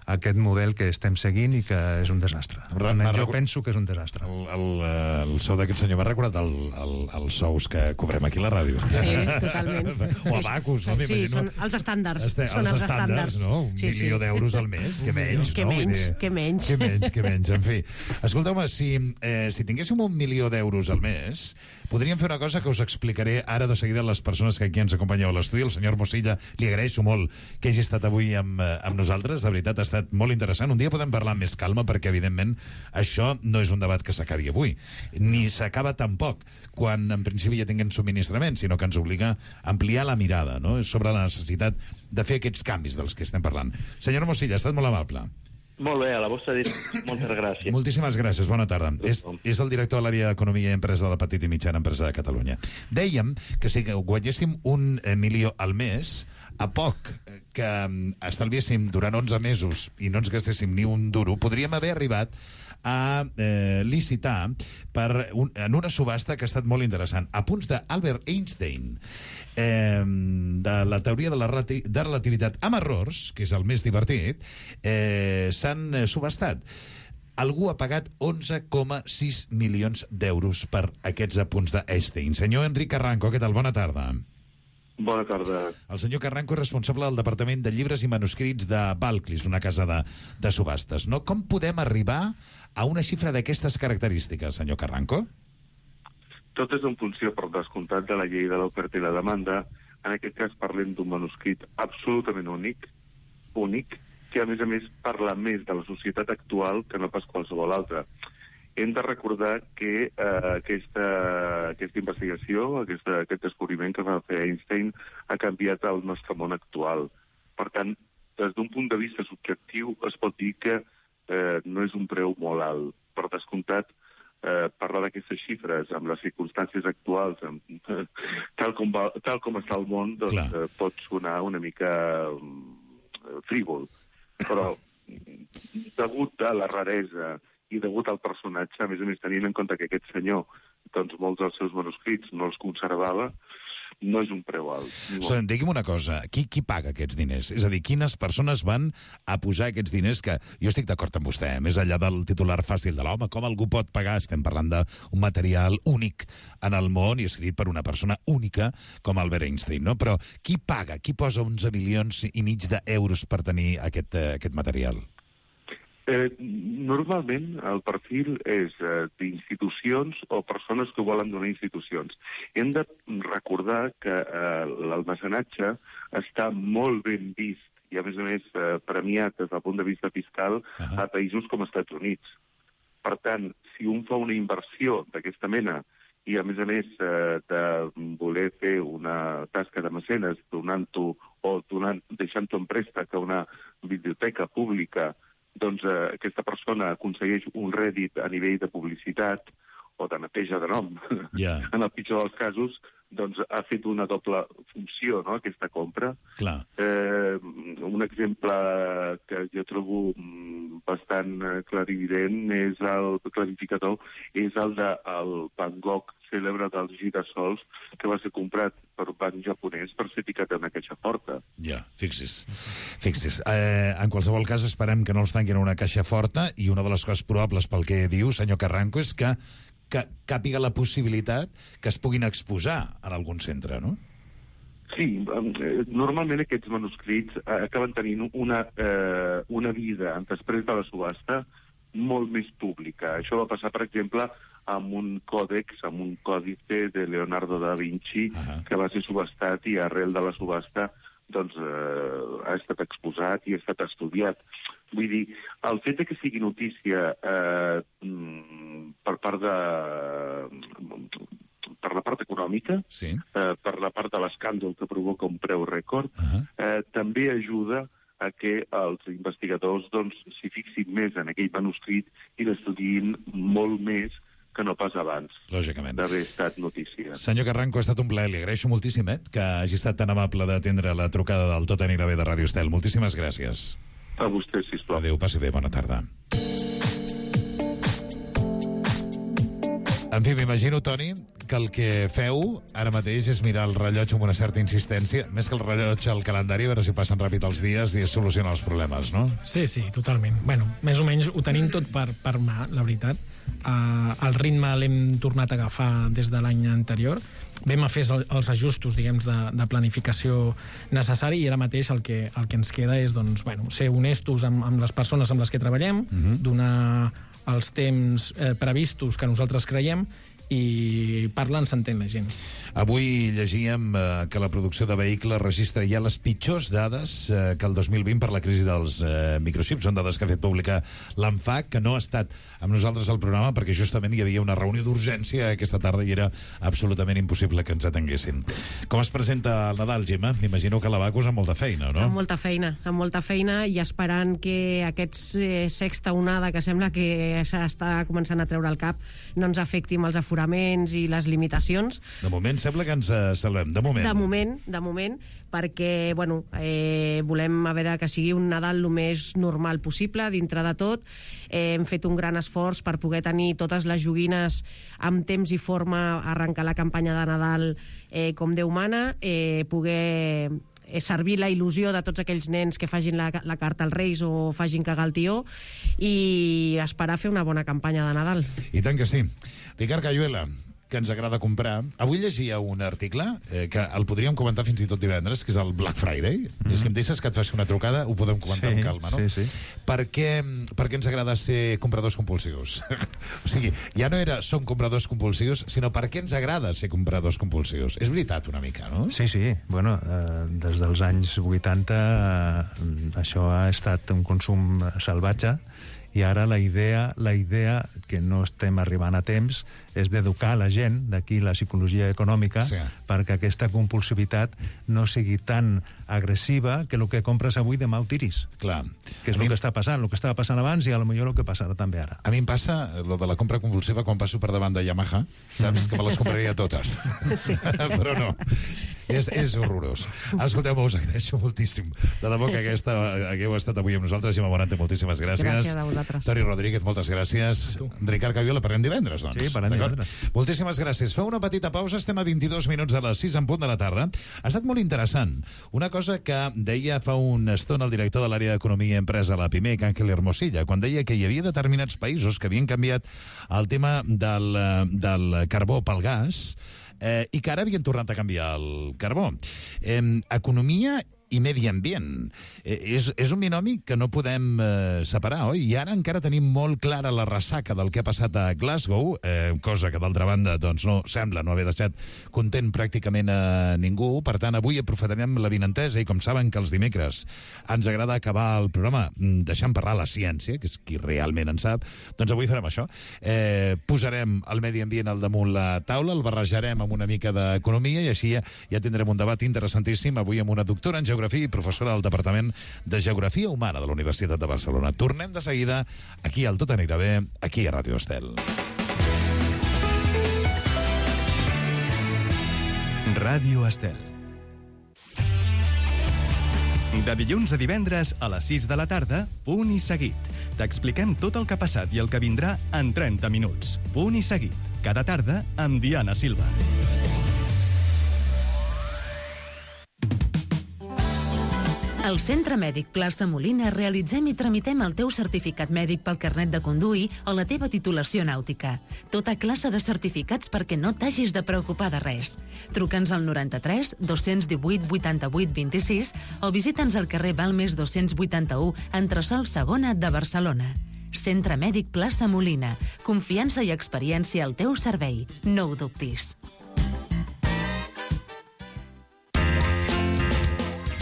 aquest model que estem seguint i que és un desastre. Jo penso que és un desastre. El sou d'aquest senyor m'ha recordat els sous que cobrem aquí a la ràdio. Sí, totalment. O a Bacus, no? Sí, són els estàndards. Són els estàndards, no? 1 milió d'euros al mes, que menys, no? Que menys. En fi. Escolteu-me, si tinguéssim 1 milió d'euros al mes, podríem fer una cosa que us explicaré ara de seguida a les persones que aquí ens acompanyeu a l'estudi. El senyor Mosilla, li agraeixo molt que hagi estat avui amb nosaltres. De veritat, ha estat molt interessant. Un dia podem parlar amb més calma perquè, evidentment, això no és un debat que s'acabi avui. Ni s'acaba tampoc quan, en principi, ja tinguem subministrament, sinó que ens obliga a ampliar la mirada, no?, sobre la necessitat de fer aquests canvis dels que estem parlant. Senyor Mosilla, ha estat molt amable. Molt bé, a la vostra disposició. Moltes gràcies. Moltíssimes gràcies, bona tarda. És el director de l'àrea d'Economia i Empresa de la Petita i Mitjana Empresa de Catalunya. Dèiem que si guanyéssim 1 milió al mes, a poc que estalviéssim durant 11 mesos i no ens gastéssim ni un duro, podríem haver arribat a licitar en una subhasta que ha estat molt interessant. A punts d'Albert Einstein, de la teoria de la relativitat amb errors, que és el més divertit, s'han subhastat. Algú ha pagat 11,6 milions d'euros per aquests apunts d'Einstein. Senyor Enric Carranco, què tal? Bona tarda. Bona tarda. El senyor Carranco és responsable del Departament de Llibres i Manuscrits de Balclis, una casa de subhastes, no? Com podem arribar a una xifra d'aquestes característiques, senyor Carranco? Tot és en funció, per descomptat, de la llei de l'oferta i la demanda. En aquest cas parlem d'un manuscrit absolutament únic, que a més parla més de la societat actual que no pas qualsevol altra. Hem de recordar que aquesta investigació, aquest descobriment que va fer Einstein ha canviat el nostre món actual. Per tant, des d'un punt de vista subjectiu es pot dir que no és un preu molt alt. Per descomptat, parlar d'aquestes xifres amb les circumstàncies actuals, tal com està el món, doncs, pot sonar una mica frívol. Però, degut a la raresa i degut al personatge, a més tenint en compte que aquest senyor, doncs molts dels seus manuscrits no els conservava, no és un preu alt. Digui'm una cosa, qui paga aquests diners? És a dir, quines persones van a posar aquests diners que... Jo estic d'acord amb vostè, més enllà del titular fàcil de l'home, com algú pot pagar? Estem parlant d'un material únic en el món i escrit per una persona única com Albert Einstein, no? Però qui paga? Qui posa 11,5 milions d'euros per tenir aquest material? Normalment el perfil és d'institucions o persones que volen donar institucions. Hem de recordar que l'almacenatge està molt ben vist i, a més, premiat des del punt de vista fiscal a països com els Estats Units. Per tant, si un fa una inversió d'aquesta mena i, a més, de voler fer una tasca de mecenes donant-ho o deixant-ho en préstec a una biblioteca pública, doncs aquesta persona aconsegueix un rèdit a nivell de publicitat o de neteja de nom. En el pitjor dels casos, doncs ha fet una doble funció, no?, aquesta compra. Clar. Un exemple que jo trobo bastant clarivident és el clarificador, és el del Van Gogh cèlebre dels girassols, que va ser comprat per un banc japonès per ser ficat en una caixa forta. Ja, fixi's. En qualsevol cas, esperem que no els tanquin en una caixa forta, i una de les coses probables pel que diu, senyor Carranco, és que càpiga la possibilitat que es puguin exposar en algun centre, no? Sí, normalment aquests manuscrits acaben tenint una vida després de la subhasta molt més pública. Això va passar, per exemple, amb un còdex, amb un còdice de Leonardo da Vinci, que va ser subhastat i arrel de la subhasta doncs, ha estat exposat i ha estat estudiat. Vull dir, el fet que sigui notícia per la part econòmica, per la part de l'escàndol que provoca un preu rècord, també ajuda a que els investigadors s'hi fixin més en aquell manuscrit i l'estudiïn molt més que no pas abans d'haver estat notícia. Senyor Carranco, ha estat un plaer. Li agraeixo moltíssim que hagi estat tan amable d'atendre la trucada del Tot anirà bé de Ràdio Estel. Moltíssimes gràcies. A vostè, sisplau. Adéu, passi bé, bona tarda. En fi, m'imagino, Toni, que el que feu ara mateix és mirar el rellotge amb una certa insistència, més que el rellotge al calendari, a veure si passen ràpid els dies i es solucionen els problemes, no? Sí, totalment. Bueno, més o menys ho tenim tot per mà, la veritat. El ritme l'hem tornat a agafar des de l'any anterior. Vam a fer els ajustos, diguem, de planificació necessari, i ara mateix el que ens queda és ser honestos amb les persones amb les que treballem, donar els temps previstos que nosaltres creiem, i parlant s'entén la gent. Avui llegíem que la producció de vehicles registra ja les pitjors dades que el 2020 per la crisi dels microxips. Són dades que ha fet pública l'ANFAC, que no ha estat amb nosaltres al programa perquè justament hi havia una reunió d'urgència aquesta tarda i era absolutament impossible que ens atenguessin. Com es presenta el Nadal, Gemma? M'imagino que la vacus amb molta feina, no? Amb molta feina, i esperant que aquesta sexta onada que sembla que s'està començant a treure el cap no ens afecti amb els aforaments i les limitacions. De moment sembla que ens salvem, de moment, perquè, volem a veure que sigui un Nadal el més normal possible, dintre de tot. Hem fet un gran esforç per poder tenir totes les joguines amb temps i forma, arrencar la campanya de Nadal com Déu mana, poder servir la il·lusió de tots aquells nens que facin la carta als Reis o facin cagar el tió, i esperar fer una bona campanya de Nadal. I tant que sí. Ricard Cayuela, que ens agrada comprar. Avui llegia un article que el podríem comentar fins i tot divendres, que és el Black Friday. És que em deixes que et faci una trucada, ho podem comentar amb calma, no? Sí. Per què ens agrada ser compradors compulsius? O sigui, ja no era som compradors compulsius, sinó per què ens agrada ser compradors compulsius. És veritat, una mica, no? Sí. Bueno, des dels anys 80 això ha estat un consum salvatge, i ara la idea que no estem arribant a temps és d'educar la gent, d'aquí la psicologia econòmica, perquè aquesta compulsivitat no sigui tan agressiva que el que compres avui demà ho tiris. Clar. Que és el que està passant, el que estava passant abans i potser el que passarà també ara. A mi em passa lo de la compra compulsiva quan passo per davant de Yamaha, saps? Que me les compraria totes. Sí. Però no. És horrorós. Escolteu-me, us agraeixo moltíssim. De debò que hagueu estat avui amb nosaltres. Gemma Morante, moltíssimes gràcies. Gràcies a vosaltres. Toni Rodríguez, moltes gràcies. Ricard Cayuela, parlem divendres, doncs. Sí, parlem divendres. Moltíssimes gràcies. Feu una petita pausa, estem a 22 minuts de les 6 en punt de la tarda. Ha estat molt interessant. Una cosa que deia fa una estona el director de l'àrea d'Economia i Empresa a la PIMEC, Ángel Hermosilla, quan deia que hi havia determinats països que havien canviat el tema del carbó pel gas, i que ara havien tornat a canviar el carbó. Economia i medi ambient. És un binomi que no podem separar, oi? I ara encara tenim molt clara la ressaca del que ha passat a Glasgow, cosa que d'altra banda doncs, no sembla no haver deixat content pràcticament a ningú. Per tant, avui aprofitarem l'avinentesa i com saben que els dimecres ens agrada acabar el programa deixant parlar la ciència, que és qui realment en sap, doncs avui farem això. Posarem el medi ambient al damunt la taula, el barrejarem amb una mica d'economia i així ja tindrem un debat interessantíssim avui amb una doctora en Geografia i professora del Departament de Geografia Humana de la Universitat de Barcelona. Tornem de seguida aquí al Tot anirà bé, aquí a Ràdio Estel. Ràdio Estel. De dilluns a divendres a les 6 de la tarda, Punt i Seguit. T'expliquem tot el que ha passat i el que vindrà en 30 minuts. Punt i Seguit. Cada tarda amb Diana Silva. Al Centre Mèdic Plaça Molina realitzem i tramitem el teu certificat mèdic pel carnet de conduir o la teva titulació nàutica. Tota classe de certificats perquè no t'hagis de preocupar de res. Truca'ns al 93 218 88 26 o visita'ns al carrer Balmes 281, entresòl Segona de Barcelona. Centre Mèdic Plaça Molina. Confiança i experiència al teu servei. No ho dubtis.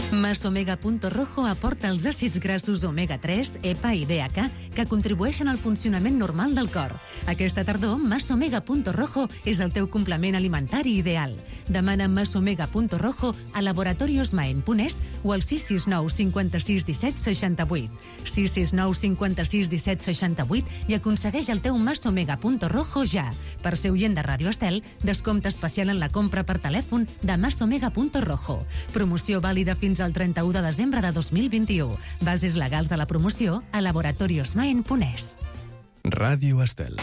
Masomega.rojo aporta els àcids grassos omega-3, EPA i DHA que contribueixen al funcionament normal del cor. Aquesta tardor, Masomega.rojo és el teu complement alimentari ideal. Demana Masomega.rojo a Laboratorios Maen.es o al 669 56 17 68. 669 56 17 68 i aconsegueix el teu Masomega.rojo ja. Per ser oient de Ràdio Estel, descompte especial en la compra per telèfon de Masomega.rojo. Promoció vàlida fins al 31 de desembre de 2021. Bases legals de la promoció a laboratoriosmaen.es. Ràdio Estel.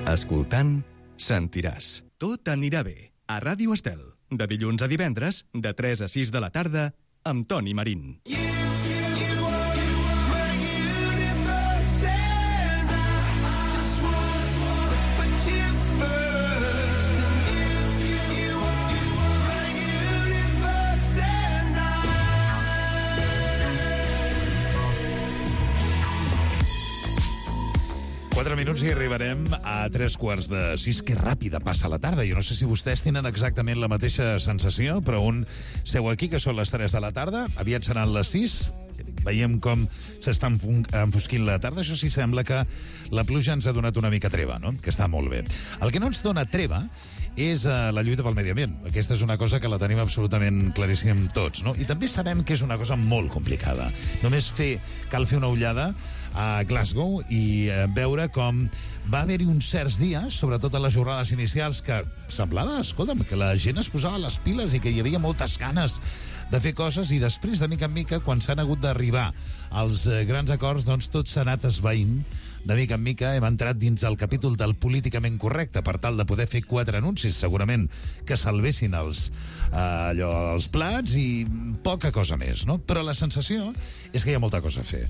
Escoltant, sentiràs. Tot anirà bé. A Ràdio Estel. De dilluns a divendres, de 3 a 6 de la tarda, amb Toni Marín. Minuts i arribarem a 3:45. Que ràpida passa la tarda. Jo no sé si vostès tenen exactament la mateixa sensació, però un seu aquí, que són les 3 de la tarda, aviat seran les 6. Veiem com s'està enfosquint la tarda. Això sí, sembla que la pluja ens ha donat una mica treva, no? Que està molt bé. El que no ens dona treva és la lluita pel medi ambient. Aquesta és una cosa que la tenim absolutament claríssim tots, no? I també sabem que és una cosa molt complicada. Només cal fer una ullada a Glasgow i veure com va haver-hi uns certs dies, sobretot a les jornades inicials, que semblava, escolta'm, que la gent es posava les piles i que hi havia moltes ganes de fer coses, i després, de mica en mica, quan s'han hagut d'arribar als grans acords, doncs tot s'ha anat esvaint. De mica en mica hem entrat dins el capítol del políticament correcte per tal de poder fer 4 anuncis, segurament, que salvessin els plats i poca cosa més, no? Però la sensació és que hi ha molta cosa a fer.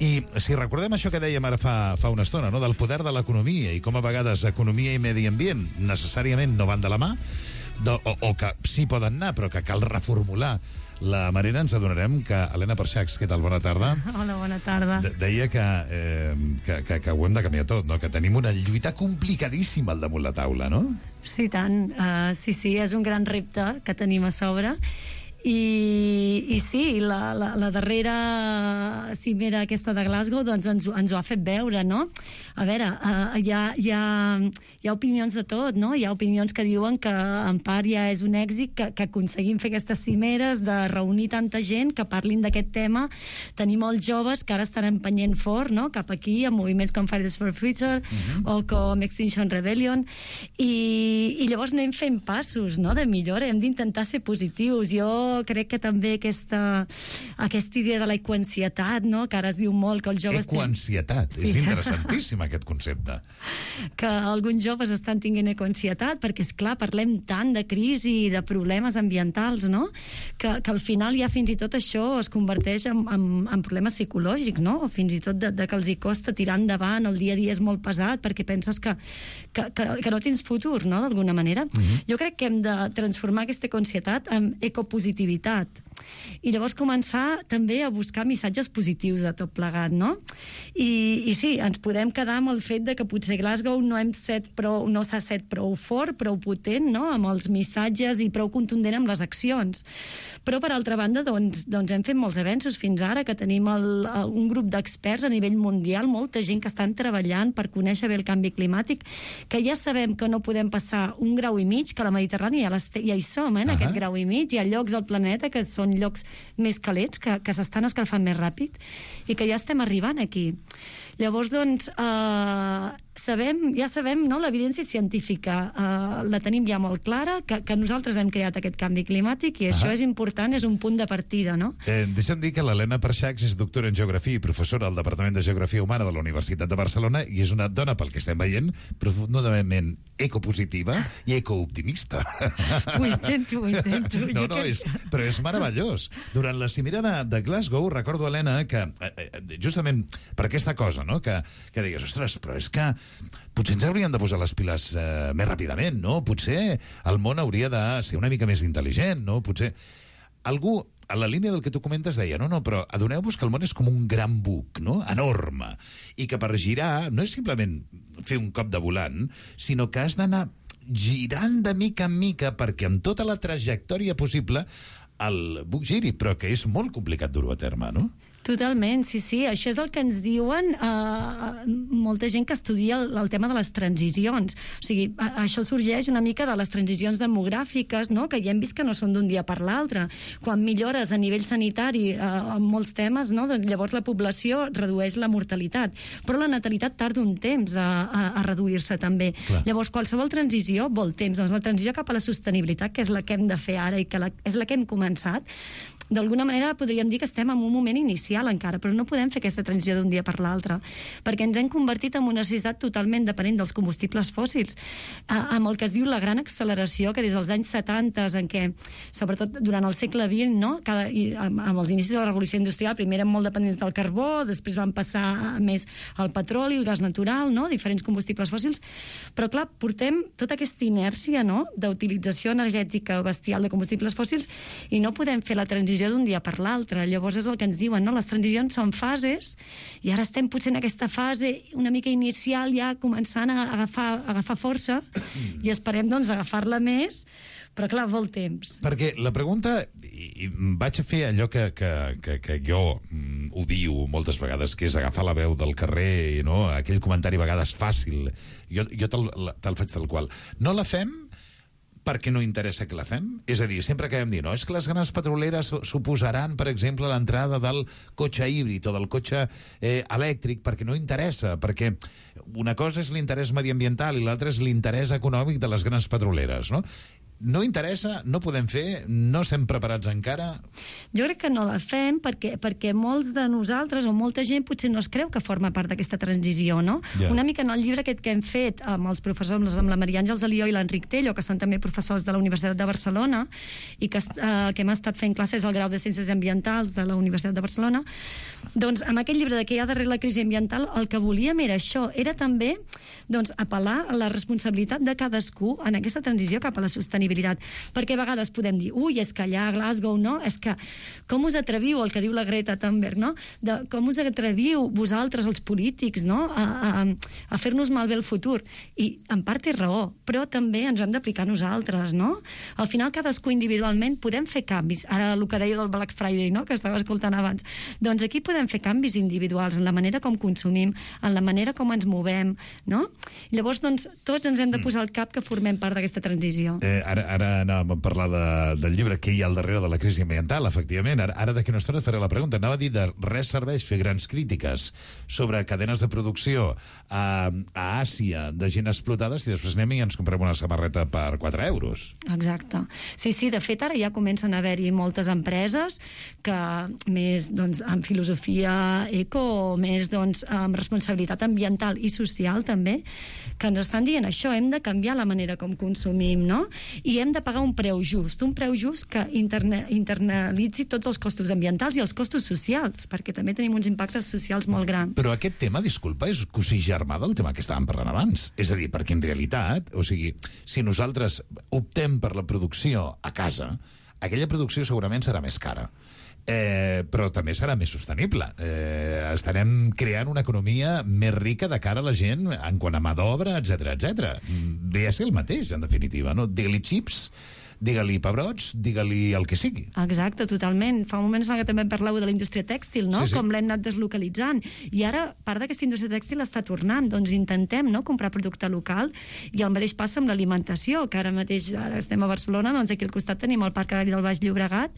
I si recordem això que dèiem ara fa una estona, no? Del poder de l'economia i com a vegades economia i medi ambient necessàriament no van de la mà, o que sí poden anar, però que cal reformular la manera, ens adonarem que Helena Perxacs, què tal? Bona tarda. Hola, bona tarda. Deia que ho hem de canviar tot, no? Que tenim una lluita complicadíssima al damunt la taula, no? Sí, tant. Sí, és un gran repte que tenim a sobre. I sí, la darrera cimera aquesta de Glasgow doncs ens ho ha fet veure, no? A veure, hi ha opinions de tot, no? Hi ha opinions que diuen que en part ja és un èxit que aconseguim fer aquestes cimeres, de reunir tanta gent que parlin d'aquest tema, tenir molts joves que ara estan empenyent fort, no? Cap aquí, amb moviments com Fridays for Future o com Extinction Rebellion, i llavors anem fent passos, no? De millora, hem d'intentar ser positius. Jo crec que també aquesta idea de l'ecoansietat, no? Que ara es diu molt que els joves... Ecoansietat, sí. És interessantíssim aquest concepte. Que alguns joves estan tinguent ecoansietat, perquè, és clar, parlem tant de crisi i de problemes ambientals, no? Que al final ja fins i tot això es converteix en problemes psicològics, no? O fins i tot de que els hi costa tirar endavant, el dia a dia és molt pesat, perquè penses que no tens futur, no?, d'alguna manera. Jo crec que hem de transformar aquesta ecoansietat en ecopositivitat. I llavors començar també a buscar missatges positius de tot plegat, no? I sí, ens podem quedar amb el fet de que potser Glasgow no s'ha set prou fort, prou potent, no?, amb els missatges i prou contundent amb les accions. Però, per altra banda, doncs hem fet molts avenços fins ara, que tenim un grup d'experts a nivell mundial, molta gent que estan treballant per conèixer bé el canvi climàtic, que ja sabem que no podem passar 1,5 graus, que a la Mediterrània ja hi som, en aquest 1,5 graus. Hi ha llocs al planeta que són llocs més calents, que s'estan escalfant més ràpid, i que ja estem arribant aquí. Llavors, doncs, ja sabem, no?, l'evidència científica la tenim ja molt clara, que nosaltres hem creat aquest canvi climàtic, i això és important, és un punt de partida, no? Deixa'm dir que l'Helena Perxacs és doctora en Geografia i professora al Departament de Geografia Humana de la Universitat de Barcelona, i és una dona, pel que estem veient, profundament ecopositiva i ecooptimista. Ho intento. No, però és meravellós. Durant la cimera de Glasgow, recordo, Helena, que justament per aquesta cosa, no?, que digues, ostres, però és que potser ens hauríem de posar les piles més ràpidament, no? Potser el món hauria de ser una mica més intel·ligent, no? Potser algú, a la línia del que tu comentes, deia, no, però adoneu-vos que el món és com un gran buc, no?, enorme, i que per girar no és simplement fer un cop de volant, sinó que has d'anar girant de mica en mica perquè amb tota la trajectòria possible el buc giri, però que és molt complicat dur-ho a terme, no? Totalment, sí. Això és el que ens diuen molta gent que estudia el tema de les transicions. O sigui, això sorgeix una mica de les transicions demogràfiques, no?, que ja hem vist que no són d'un dia per l'altre. Quan millores a nivell sanitari en molts temes, no?, doncs llavors la població redueix la mortalitat. Però la natalitat tarda un temps a reduir-se també. Clar. Llavors, qualsevol transició vol temps. Doncs la transició cap a la sostenibilitat, que és la que hem de fer ara i que és la que hem començat, d'alguna manera podríem dir que estem en un moment inicial encara, però no podem fer aquesta transició d'un dia per l'altre, perquè ens hem convertit en una societat totalment dependent dels combustibles fòssils, amb el que es diu la gran acceleració, que des dels anys 70, en què, sobretot durant el segle XX, no?, amb els inicis de la revolució industrial, primer eren molt dependents del carbó, després van passar més al petroli, el gas natural, no?, diferents combustibles fòssils, però clar, portem tota aquesta inèrcia, no?, d'utilització energètica bestial de combustibles fòssils, i no podem fer la transició d'un dia per l'altre. Llavors és el que ens diuen, no?, les transicions són fases, i ara estem potser en aquesta fase una mica inicial, ja començant a agafar força, i esperem, doncs, agafar-la més, però clar, vol temps. Perquè la pregunta, i vaig a fer allò que jo odio moltes vegades, que és agafar la veu del carrer, no?, aquell comentari a vegades fàcil, jo te'l faig tal qual. No la fem perquè no interessa que la fem? És a dir, sempre acabem dient, no, és que les grans petroleres suposaran, per exemple, l'entrada del cotxe híbrid o del cotxe elèctric, perquè no interessa, perquè una cosa és l'interès mediambiental i l'altra és l'interès econòmic de les grans petroleres, no? No interessa, no podem fer, no estem preparats encara? Jo crec que no la fem perquè molts de nosaltres o molta gent potser no es creu que forma part d'aquesta transició, no? Yeah. Una mica en el llibre aquest que hem fet amb els professors, amb la Maria Àngels Alió i l'Enric Tello, que són també professors de la Universitat de Barcelona i que hem estat fent classes al grau de Ciències Ambientals de la Universitat de Barcelona, doncs amb aquest llibre de què hi ha darrere la crisi ambiental, el que volíem era això, era també doncs, apel·lar a la responsabilitat de cadascú en aquesta transició cap a la sostenibilitat, perquè a vegades podem dir, ui, és que allà a Glasgow, no? És que com us atreviu, el que diu la Greta Thunberg, no? Com us atreviu vosaltres, els polítics, no?, a fer-nos malbé el futur. I en part té raó, però també ens ho hem d'aplicar nosaltres, no? Al final, cadascú individualment podem fer canvis. Ara, el que deia del Black Friday, no?, que estava escoltant abans. Doncs aquí podem fer canvis individuals en la manera com consumim, en la manera com ens movem, no? Llavors, doncs, tots ens hem de posar al cap que formem part d'aquesta transició. Ara ara anàvem a parlar del llibre que hi ha al darrere de la crisi ambiental, efectivament. Ara d'aquí una estona et faré la pregunta. Anava a dir de res serveix fer grans crítiques sobre cadenes de producció a Àsia de gent explotada si després anem i ens comprem una samarreta per 4 euros. Exacte. Sí, de fet, ara ja comencen a haver-hi moltes empreses que més amb filosofia eco, més amb responsabilitat ambiental i social també, que ens estan dient això, hem de canviar la manera com consumim, no? I hem de pagar un preu just que internalitzi tots els costos ambientals i els costos socials, perquè també tenim uns impactes socials molt grans. Però aquest tema, disculpa, és cosí germà del tema que estàvem parlant abans. És a dir, perquè en realitat, o sigui, si nosaltres optem per la producció a casa, aquella producció segurament serà més cara. Però també serà més sostenible. Estarem creant una economia més rica de cara a la gent en quant a mà d'obra, etc. Ve a ser el mateix, en definitiva, no? Digue-li xips, digue-li pebrots, digue-li el que sigui. Exacte, totalment. Fa un moment que també parleu de la indústria tèxtil, no? Sí. Com l'hem anat deslocalitzant. I ara, part d'aquesta indústria tèxtil està tornant. Doncs intentem comprar producte local, i el mateix passa amb l'alimentació, que ara mateix estem a Barcelona, doncs aquí al costat tenim el Parc Agrari del Baix Llobregat,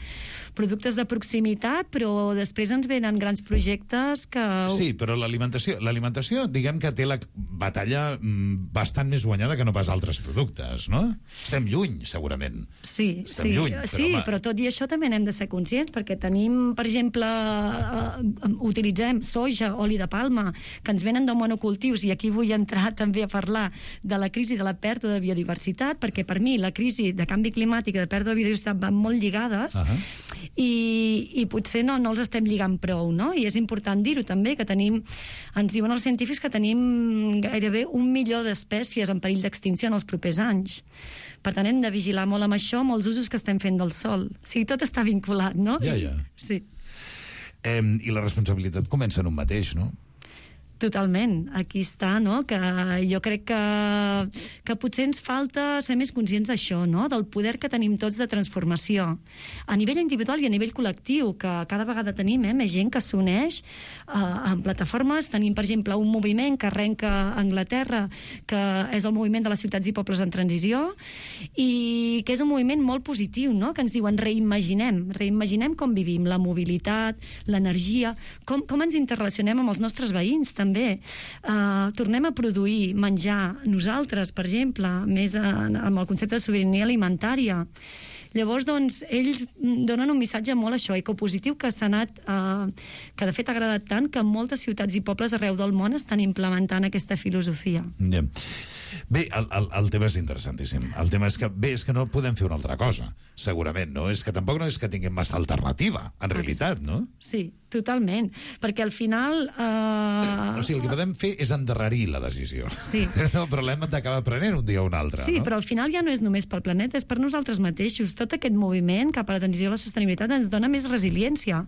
productes de proximitat, però després ens venen grans projectes que... Sí, però l'alimentació, diguem que té la batalla bastant més guanyada que no pas altres productes, no? Estem lluny, segurament. Sí, lluny, però tot i això també n'hem de ser conscients, perquè tenim, per exemple, utilitzem soja, oli de palma, que ens venen de monocultius, i aquí vull entrar també a parlar de la crisi de la pèrdua de biodiversitat, perquè per mi la crisi de canvi climàtic i de pèrdua de biodiversitat van molt lligades, i potser no els estem lligant prou, no? I és important dir-ho també, que ens diuen els científics que tenim gairebé 1 milió d'espècies en perill d'extinció en els propers anys. Per tant, hem de vigilar molt amb això, amb els usos que estem fent del sol. O sigui, tot està vinculat, no? Ja. Sí. I la responsabilitat comença en un mateix, no? Totalment, aquí està, no? Que jo crec que potser ens falta ser més conscients d'això, no? Del poder que tenim tots de transformació. A nivell individual i a nivell col·lectiu, que cada vegada tenim més gent que s'uneix en plataformes. Tenim, per exemple, un moviment que arrenca a Anglaterra, que és el moviment de les ciutats i pobles en transició, i que és un moviment molt positiu, no? Que ens diuen reimaginem com vivim, la mobilitat, l'energia, com ens interrelacionem amb els nostres veïns, també. Tornem a produir menjar nosaltres, per exemple, més amb el concepte de sobirania alimentària. Llavors, doncs, ells donen un missatge molt ecopositiu que s'ha anat, que de fet ha agradat tant que moltes ciutats i pobles arreu del món estan implementant aquesta filosofia. Bé, el tema és interessantíssim. El tema és que no podem fer una altra cosa, segurament, no? És que tampoc no és que tinguem massa alternativa, en realitat, no? Sí, totalment, perquè al final... O sigui, el que podem fer és endarrerir la decisió. Sí. No, però l'hem d'acabar prenent un dia o un altre, sí, no? però al final ja no és només pel planeta, és per nosaltres mateixos. Tot aquest moviment cap a la transició a la sostenibilitat ens dona més resiliència.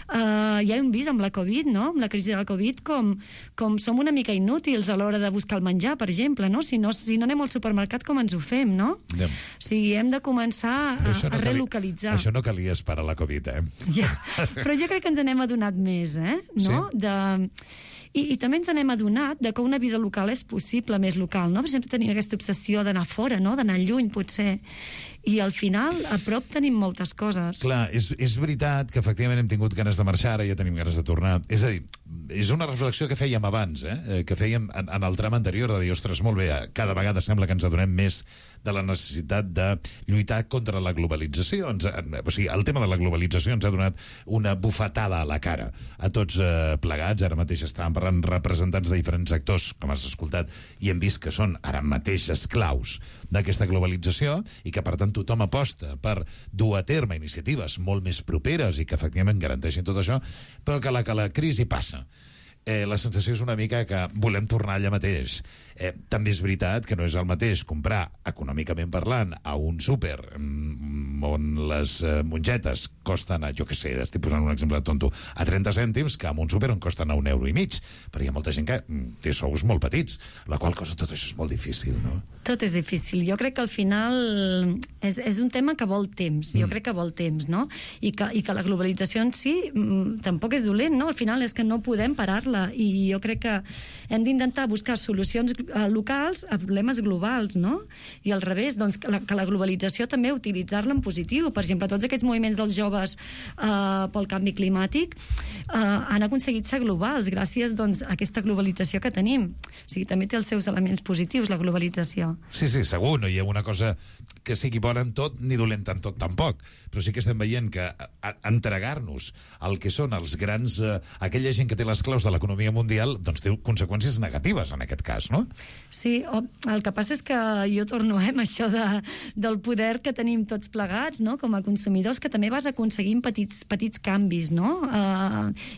Ja hem vist amb la Covid, no? Amb la crisi de la Covid, com som una mica inútils a l'hora de buscar el menjar, per exemple, no? Si no anem al supermercat, com ens ho fem, no? Sí, hem de començar a relocalitzar. Això no calia esperar la Covid, Ja. Però jo crec que ens n'hem adonat més, no? Sí. I també ens n'hem adonat que una vida local és possible, més local, no? Per exemple, tenim aquesta obsessió d'anar fora, no? D'anar lluny, potser. I al final, a prop tenim moltes coses. Clar, és veritat que efectivament hem tingut ganes de marxar, ara ja tenim ganes de tornar. És a dir, és una reflexió que fèiem abans, que fèiem en el tram anterior, de dir, ostres, molt bé, cada vegada sembla que ens adonem més de la necessitat de lluitar contra la globalització. O sigui, el tema de la globalització ens ha donat una bufetada a la cara a tots plegats. Ara mateix estàvem parlant representants de diferents sectors, com has escoltat, i hem vist que són ara mateix esclaus d'aquesta globalització i que, per tant, tothom aposta per dur a terme iniciatives molt més properes i que efectivament garanteixin tot això, però que la crisi passa. La sensació és una mica que volem tornar allà mateix. També és veritat que no és el mateix comprar, econòmicament parlant, a un súper on les mongetes costen, jo què sé, estic posant un exemple tonto, a 30 cèntims, que en un súper on costen a €1,50, però hi ha molta gent que té sous molt petits, la qual cosa tot això és molt difícil, no? Tot és difícil. Jo crec que al final és un tema que vol temps. Jo crec que vol temps, no? I que la globalització en si tampoc és dolent, no? Al final és que no podem parar-la i jo crec que hem d'intentar buscar solucions locals a problemes globals, no? I al revés, doncs, que la globalització també utilitzar-la en positiu. Per exemple, tots aquests moviments dels joves pel canvi climàtic han aconseguit ser globals gràcies, doncs, a aquesta globalització que tenim. O sigui, també té els seus elements positius, la globalització. Sí, segur, no hi ha una cosa que sigui bona en tot ni dolenta en tot tampoc, però sí que estem veient que entregar-nos al que són els grans... aquella gent que té les claus de l'economia mundial, doncs té conseqüències negatives en aquest cas, no? Sí, el que passa és que jo torno amb això del poder que tenim tots plegats, no?, com a consumidors, que també vas aconseguint petits canvis, no?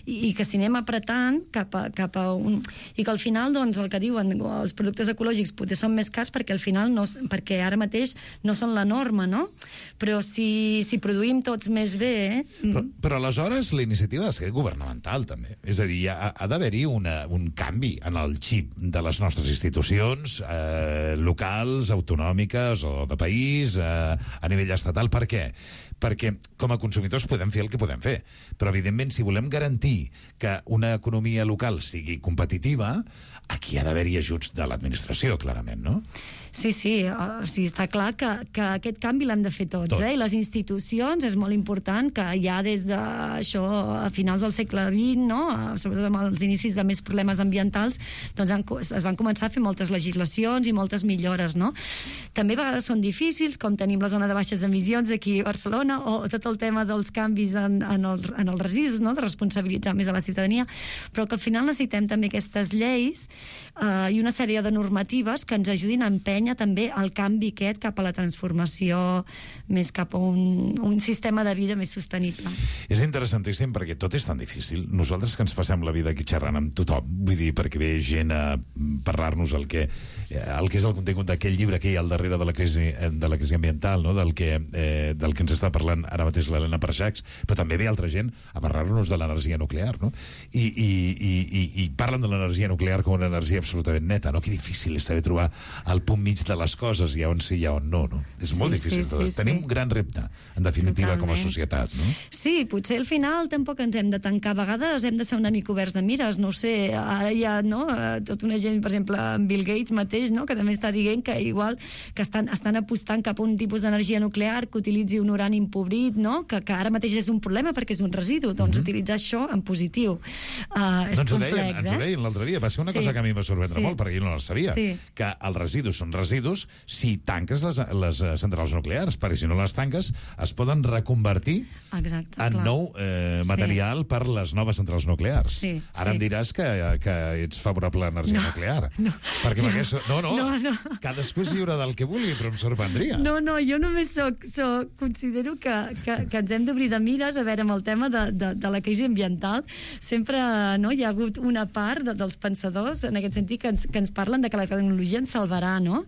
I que si anem apretant cap a un... I que al final, doncs, el que diuen, els productes ecològics potser són més cars perquè al final perquè ara mateix no són la norma, no? Però si produïm tots més bé... Però aleshores la iniciativa ha de ser governamental, també. És a dir, ha d'haver-hi un canvi en el xip de les nostres institucions locals, autonòmiques o de país, a nivell estatal. Per què? Perquè com a consumidors podem fer el que podem fer, però evidentment si volem garantir que una economia local sigui competitiva, aquí ha d'haver-hi ajuts de l'administració, clarament, no? Sí, està clar que aquest canvi l'hem de fer tots. I les institucions, és molt important que ja des d'això, a finals del segle XX, no?, sobretot amb els inicis de més problemes ambientals, doncs es van començar a fer moltes legislacions i moltes millores, no? També a vegades són difícils, com tenim la zona de baixes emissions aquí a Barcelona, o tot el tema dels canvis en els residus, no?, de responsabilitzar més a la ciutadania, però que al final necessitem també aquestes lleis i una sèrie de normatives que ens ajudin a empènyer també el canvi aquest cap a la transformació més cap a un sistema de vida més sostenible. És interessantíssim perquè tot és tan difícil. Nosaltres que ens passem la vida aquí xerrant amb tothom, vull dir, perquè ve gent a parlar-nos el que és el contingut d'aquell llibre que hi ha al darrere de la crisi ambiental, no?, del que ens està parlant ara mateix l'Helena Parxacs, però també ve altra gent a parlar-nos de l'energia nuclear, no? I parlen de l'energia nuclear com una energia absolutament neta, no? Que difícil és saber trobar el punt mig de les coses, i on sí i on no, no? És molt difícil. Tenim un gran repte, en definitiva, com a societat, no? Sí, potser al final tampoc ens hem de tancar. A vegades hem de ser una mica oberts de mires, no ho sé, ara hi ha, no?, tota una gent, per exemple, en Bill Gates mateix, no?, que també està dient que igual que estan apostant cap a un tipus d'energia nuclear que utilitzi un urani empobrit, no?, que ara mateix és un problema perquè és un residu, doncs utilitzar això en positiu. És complex, ens ho deien l'altre dia, va ser una cosa que a mi em va sorprendre molt, perquè jo no la sabia, que els residus són residus si tanques les centrals nuclears, perquè si no les tanques es poden reconvertir en nou material per les noves centrals nuclears. Ara em diràs que ets favorable a l'energia nuclear. No, cadascú és lliure del que vulgui, però em sorprendria. No, jo només considero que ens hem d'obrir de mires, a veure, amb el tema de la crisi ambiental. Sempre hi ha hagut una part dels pensadors, en aquest sentit, que ens parlen de que la tecnologia ens salvarà, no?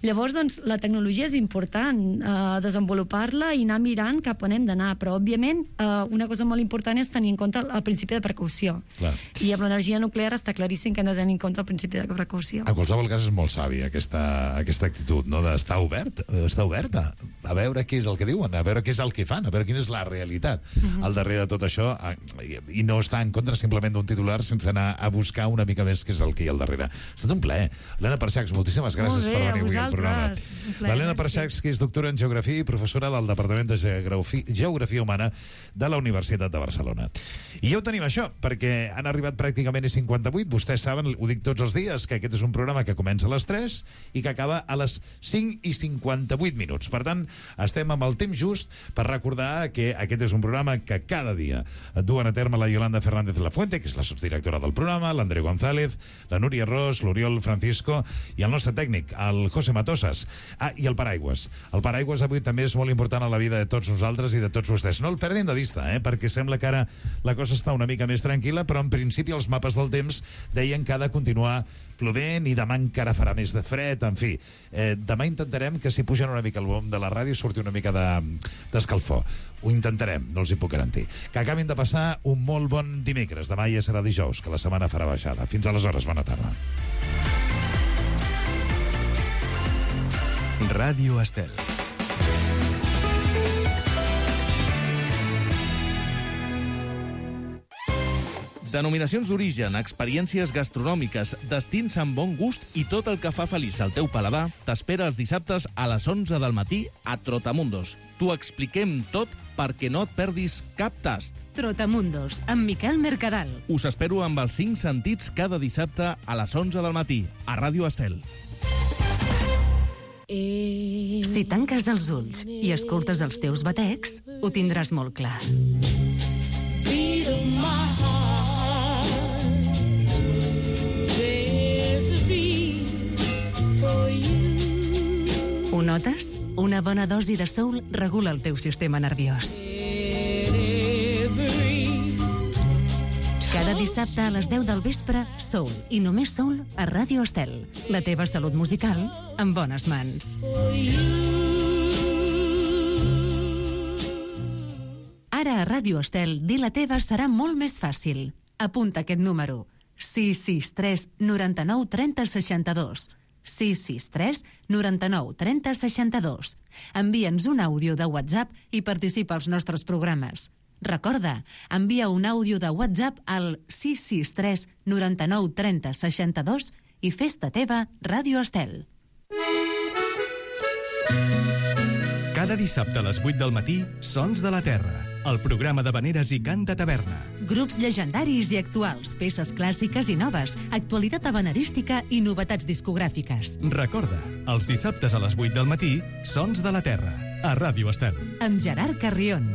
Llavors, doncs, la tecnologia és important, desenvolupar-la i anar mirant cap on hem d'anar, però, òbviament, una cosa molt important és tenir en compte el principi de precaució. I amb l'energia nuclear està claríssim que hem de tenir en compte el principi de precaució. En qualsevol cas, és molt savi aquesta actitud, no?, d'estar oberta, a veure què és el que diuen, a veure què és el que fan, a veure quina és la realitat al darrere de tot això, i no estar en contra simplement d'un titular sense anar a buscar una mica més què és el que hi ha al darrere. Ha estat un plaer. Helena Parxacs, moltíssimes gràcies per venir avui al programa. L'Helena Parxacs, que és doctora en Geografia i professora del Departament de Geografia Humana de la Universitat de Barcelona. I ja ho tenim, això, perquè han arribat pràcticament 58. Vostès saben, ho dic tots els dies, que aquest és un programa que comença a les 3 i que acaba a les 5:58. Per tant, estem amb el temps just per recordar que aquest és un programa que cada dia duen a terme la Yolanda Fernández Lafuente, que és la sotsdirectora del programa, l'Andreu González, la Núria Ros, l'Oriol Francisco i el nostre tècnic, el José Matosas. I el paraigües. El paraigües avui també és molt important a la vida de tots nosaltres i de tots vostès. No el perdin de vista, perquè sembla que ara la cosa està una mica més tranquil·la, però en principi els mapes del temps deien que ha de continuar plovent i demà encara farà més de fred, en fi. Demà intentarem que si pugen una mica el volum de la ràdio ràdio surti una mica d'escalfor. Ho intentarem, no els hi puc garantir. Que acabin de passar un molt bon dimecres. Demà ja serà dijous, que la setmana farà baixada. Fins aleshores, bona tarda. Ràdio Estel. Denominacions d'origen, experiències gastronòmiques, destins amb bon gust i tot el que fa feliç al teu paladar t'espera els dissabtes a les 11 del matí a Trotamundos. T'ho expliquem tot perquè no et perdis cap tast. Trotamundos, amb Miquel Mercadal. Us espero amb els 5 sentits cada dissabte a les 11 del matí a Ràdio Estel. Si tanques els ulls i escoltes els teus batecs, ho tindràs molt clar. Ho notes? Una bona dosi de soul regula el teu sistema nerviós. Cada dissabte a les 10 del vespre, soul i només soul a Ràdio Estel. La teva salut musical en bones mans. Ara a Ràdio Estel, dir la teva serà molt més fàcil. Apunta aquest número. 663 99 30 62. 663 99 30 62. Envia'ns un àudio de WhatsApp i participa als nostres programes. Recorda, envia un àudio de WhatsApp al 663 99 30 62 i fes-te teva Ràdio Estel. Cada dissabte a les 8 del matí, Sons de la Terra, el programa de veneres i cant de taverna. Grups llegendaris i actuals, peces clàssiques i noves, actualitat habanerística i novetats discogràfiques. Recorda, els dissabtes a les 8 del matí, Sons de la Terra, a Ràdio Estel. Amb Gerard Carrion.